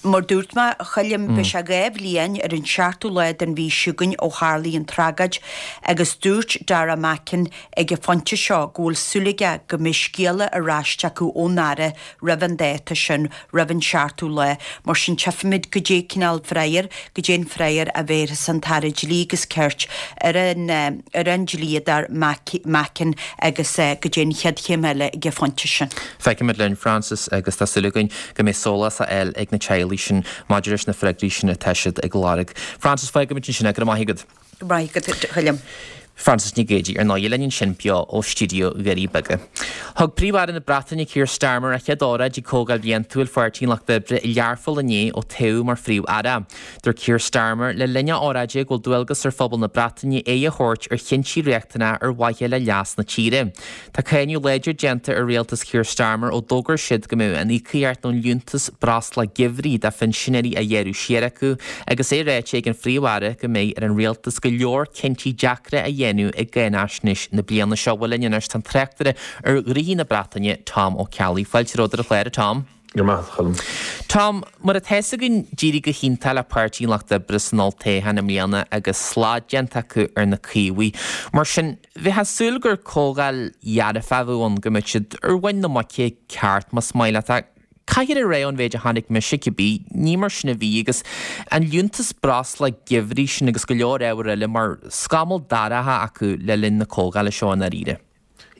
Mar dúirt mé, a Choilm, beidh sé dhá bhliain ar an seachtú lá den mhí seo chugainn ó tharlaigh an tragóid agus dúirt Dara Mackin ag an phointe seo go bhfuil súil aige go mbeidh scéala ar ais acu ón Aire roimh an dáta sin, roimh an seachtú lá. Mar sin tchífimid goidé cineál freagra, goidé an freagra a bhéarfas an tAire Dlí agus Cirt ar an ar an dlíodóir Mackin agus goidé an chéad chéim eile ag an phointe sin. Feicfimid linn, Frances, agus tá súil againn go mbeidh sólás á fháil ag na teaghlaigh sin maidir leis na freagraí sin atá siad ag lorg. Frances, fágfaimid ansin é. Go raibh maith agat. Go raibh maith agat, a Choilm. Frances Nic Géadaigh ar ndóigh linn ansin beo ó stiúideo Dhoirí Beaga. Thug Príomh-Aire na Breataine Keir Starmer a chéad óráid ag Comhdháil Bhliantúil Pháirtí an Lucht Oibre i Learpholl inné ó toghadh mar Phríomh-Aire. Dúirt Keir Starmer le linn a óráide go bhfuil dualgas ar phobal na Breataine aghaidh a thabhairt ar chinntí riachtanacha ar mhaithe le leas na tíre. Tá cáineadh láidir déanta ar rialtas Keir Starmer ó d'fhógair siad go mbeadh an íocaíocht nó an liúntas breosla geimhridh do phinsinéirí á ghearradh siar acu agus é ráite ag an Phríomh-Aire go mbeidh ar an rialtas go leor cinntí deacra a dhéanamh i gcáinaisnéis na bliana seo. Bhuel linn anois tá an tráchtaire ar ghnoithí na Breataine, Tom Ó Ceallaigh. Fáilte romhat ar an chlár, a Tom. Go raibh maith agat, a Choilm. Tom, mar atá fhios againn, d'éirigh go hiontach le Páirtí an Lucht Oibre san olltoghchán i mbliana agus slad déanta acu ar na Caomhaigh. Mar sin, bheifeá ag súil gur comhdháil dhearfach a bheadh ann, go mbeadh siad ar mhuin na muice ceart, más maith leat. Ach caithfear a rá ón mhéid a chonaic mise cibé, ní mar sin a bhí agus an liúntas breosla geimhridh sin agus go leor ábhar eile mar scamall dorcha acu le linn na comhdhála seo i ndáiríre.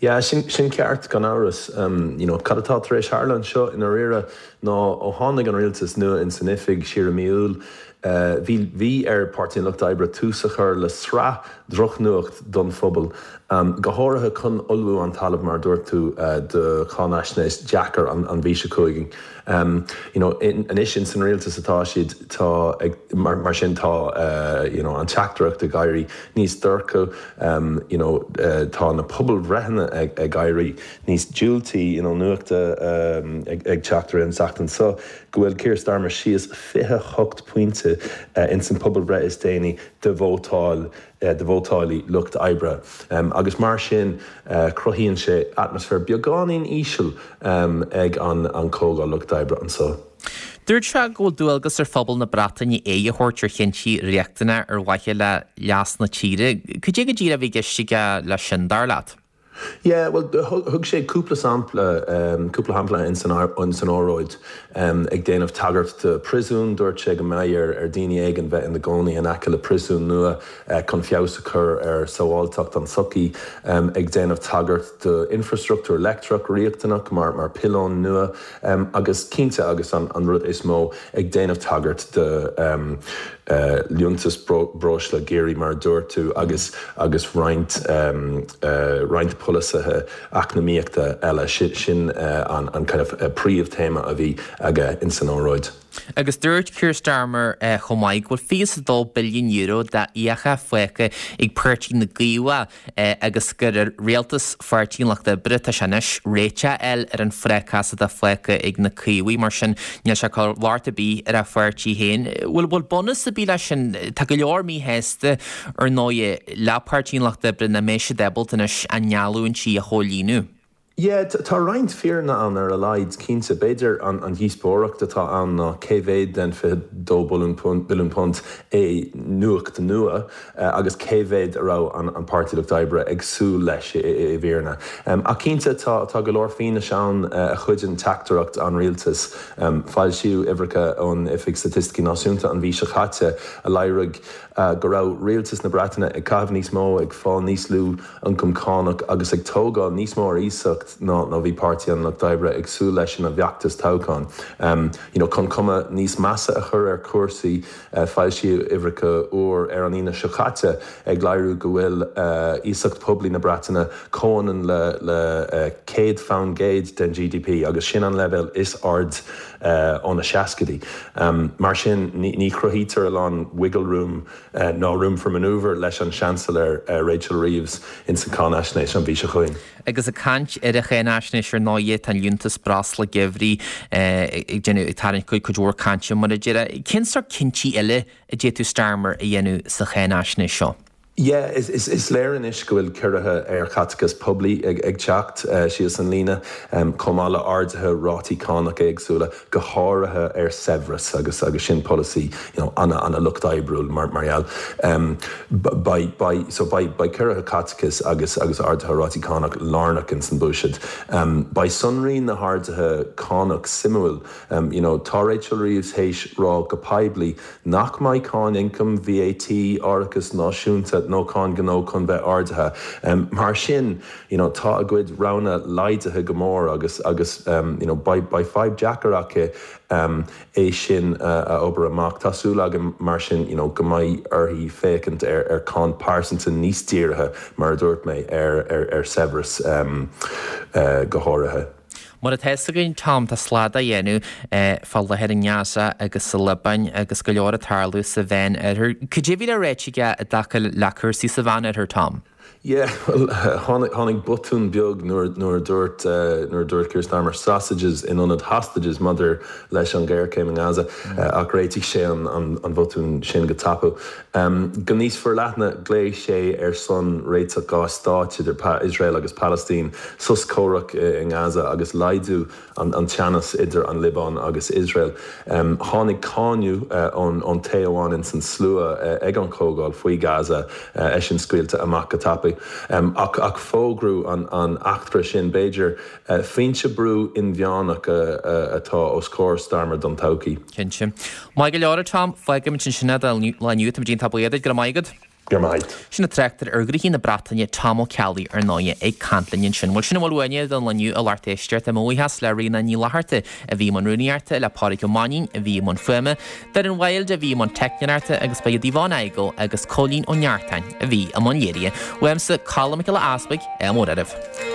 Yeah, sin sin ceart gan amhras. You know, cad atá tar éis tharla anseo i ndáiríre ná ó tháinig an rialtas nua in san oifig siar i mí Iúil, bhí bhí ar Páirtí an Lucht Oibre tús a chur le sraith drochnuacht don phobal, go háirithe chun ullmhú an talamh mar a dúirt tú do cháinaisnéis deacair an an mhí seo chugainn. You know, anois in san rialtas atá siad tá ag mar mar sin tá you know an teachtaireacht ag éirí níos dorcha, you know tá na pobalbhreitheanna ag ag éirí níos diúltaí, you know nuacht ag ag teacht ar an seachtain seo go bhfuil Keir Starmer síos fiche hocht pointe cinnte ins an pobalbhreith is déanaí do vótáil do vótálaí Lucht Oibre. Agus mar sin cruthaíonn sé atmaisféar beagáinín íseal ag an an Comhdháil Lucht Oibre anseo. Dúirt sé go bhfuil dualgas ar phobal na Breataine aghaidh a thabhairt ar chinntí riachtanacha ar mhaithe le leas na tíre. Cad é go díreach a bhí i gceist aige leis sin, dar leat? Yeah, well thug sé cúpla sampla cúpla shampla in san in san óráid ag déanamh tagairt do príosún, dúirt sé go mbeidh ar ar daoine éigin bheith ina gcónaí in aice le príosún nua chun feabhas a chur ar sábháilteacht an tsochaí, ag déanamh tagairt do infrastruchtúr leictreach riachtanach mar mar piolóin nua agus cinnte agus an an rud is mó ag déanamh tagairt do liúntas breosla géaraí mar a dúirt tú agus agus roinnt roinnt polasaithe eacnamaíochta eile. Sin an an kind of príomhthéama a bhí aige in san óráid. Agus dúirt Keir Starmer chomh maith go bhfuil fiche is a dó billiún euro d'fhiacha fágtha ag Páirtí na gCaomhach agus gur ar rialtas Pháirtí an Lucht Oibre atá sé anois réiteach a fháil ar an phrácás atá fágtha ag na Caomhaigh. Mar sin níl sé ag cur locht ar bith ar a pháirtí féin. Bhfuil bhfuil bunús ar bith leis sin? Tá go leor míshásta ar ndóigh le Páirtí an Lucht Oibre nach mbeidh siad ábalta anois a ngeallúintí a chomhlíonadh. Yeah, tá roinnt fírinne ann ar a laghad, cinnte. B'fhéidir an an dhíospóireacht atá ann ná cé mhéad den fiche dó billiún punt é nuacht nua agus cé mhéad a raibh an an Páirtí Lucht Oibre ag súil leis i i bhfírinne. Ach cinnte tá tá go leor fianaise ann a chuideann teachtaireacht an rialtais. Foilsíodh uimhreacha ón Oifig Staitisticí Náisiúnta an mhí seo caite a léirigh go raibh rialtas na Breataine ag caitheamh níos mó, ag fáil níos lú ioncam cánach agus ag tógáil níos mó ar iasacht ná ná bhí Páirtí an Lucht Oibre ag súil leis ina bhfeachtas toghcháin. You know, chun cuma níos measa a chur ar chúrsaí, foilsíodh uimhreacha úr ar an Aoine seo caite ag léiriú go bhfuil iasacht poiblí na Breataine comhionann le le céad faoin gcéad den G D P agus sin an leibhéal is airde ó na seascaidí. Mar sin, ní chruthaítear a lán wiggle room ná room for manoeuvre leis an Seansailéir Rachel Reeves ins an cáinaisnéis an mhí seo chugainn. Agus ag caint ar an cháinaisnéis ar ndóigh, tá an liúntas breosla geimhridh ag déanamh, ag tarraingt cuid mhór cainte mar a déarfá. Cén sórt cinntí eile a d'fhéadfadh Starmer a dhéanamh sa cháinaisnéis seo? Yeah, is, is, is léir anois go bhfuil ciorruithe ar chaiteachas poiblí ag, ag teacht síos an líne, chomh maith le arduithe rátaí cánach éagsúla, go háirithe ar saibhreas agus, agus sin polasaí, you know, ana, ana lucht oibriúil mar, mar gheall. Beidh, beidh, so beidh, beidh ciorruithe caiteachais agus, agus arduithe rátaí cánach lárnach ins an bhuiséad. Beidh sonraí na harduithe cánach suimiúil. You know, tá Rachel Reeves théis rá go poiblí nach mbeidh cáin ioncaim, V A T, árachas náisiúnta nó cáin gnó chun bheith ardaithe. Mar sin, you know, tá a gcuid roghanna laghdaithe go mór agus, agus you know, beidh, beidh fadhb deacair aici é sin a obair amach. Tá súil agam mar sin, you know, go mbeidh uirthi féachaint ar, ar cáin pearsanta níos dírithe, mar a dúirt mé, ar, ar, ar saibhreas go háirithe. Mar atá fhios againn, Tom, tá slad á dhéanamh fá láthair i nGaza agus sa Liobáin agus go leor ag tarlú sa Mheán Oirthear. Cad é a bhí le ráite aige i dtaca le cúrsaí sa Mheán Oirthear, Tom? Yeah, well, tháinig, tháinig botún beag nuair, nuair a dúirt, nuair a dúirt Keir Starmer sausages in ionad hostages maidir leis an ghéarchéim i nGaza, ach réitigh sé an, an, an botún sin go tapaidh. Go níos forleithne, ghlaoigh sé ar son réiteach dhá stáit idir Iosrael agus Palaistín, sos comhraic i nGaza agus laghdú an, an teannas idir an Liobáin agus Iosrael. Tháinig cáineadh ón, ón té amháin ins an slua ag an chomhdháil faoi Gaza, eisean scaoilte amach go tapaidh. Ach, ach fógraíodh an, an eachtra sin, b'fhéidir, foinse brú inmheánach atá os comhair Starmer don todhchaí. Cinnte. Maith go leor, a Tom, fágfaimid ansin é don lá inniu. Táimid iontach buíoch duit. Go raibh maith agat. Go raibh maith. Sin an tráchtaire ar ghnóthaí na Breataine, Tom Ó Ceallaigh, ar ndóigh, ag caint linn ansin. Bhuel, sin a bhfuil uainne don lá inniu, a lucht éisteachta. Mo bhuíochas le Ríona Ní Fhlatharta a bhí i mbun rúnaíochta, le Pádraig Ó Mainnín a bhí i mbun fuaime, Doireann Wilde a bhí i mbun teicneoireachta agus ba iad Yvonne Igoe agus Cóilín Ó Neartáin a bhí i mbun léirithe. Uaimse, Colm Mac Giolla Easbuig, ádh mór oraibh.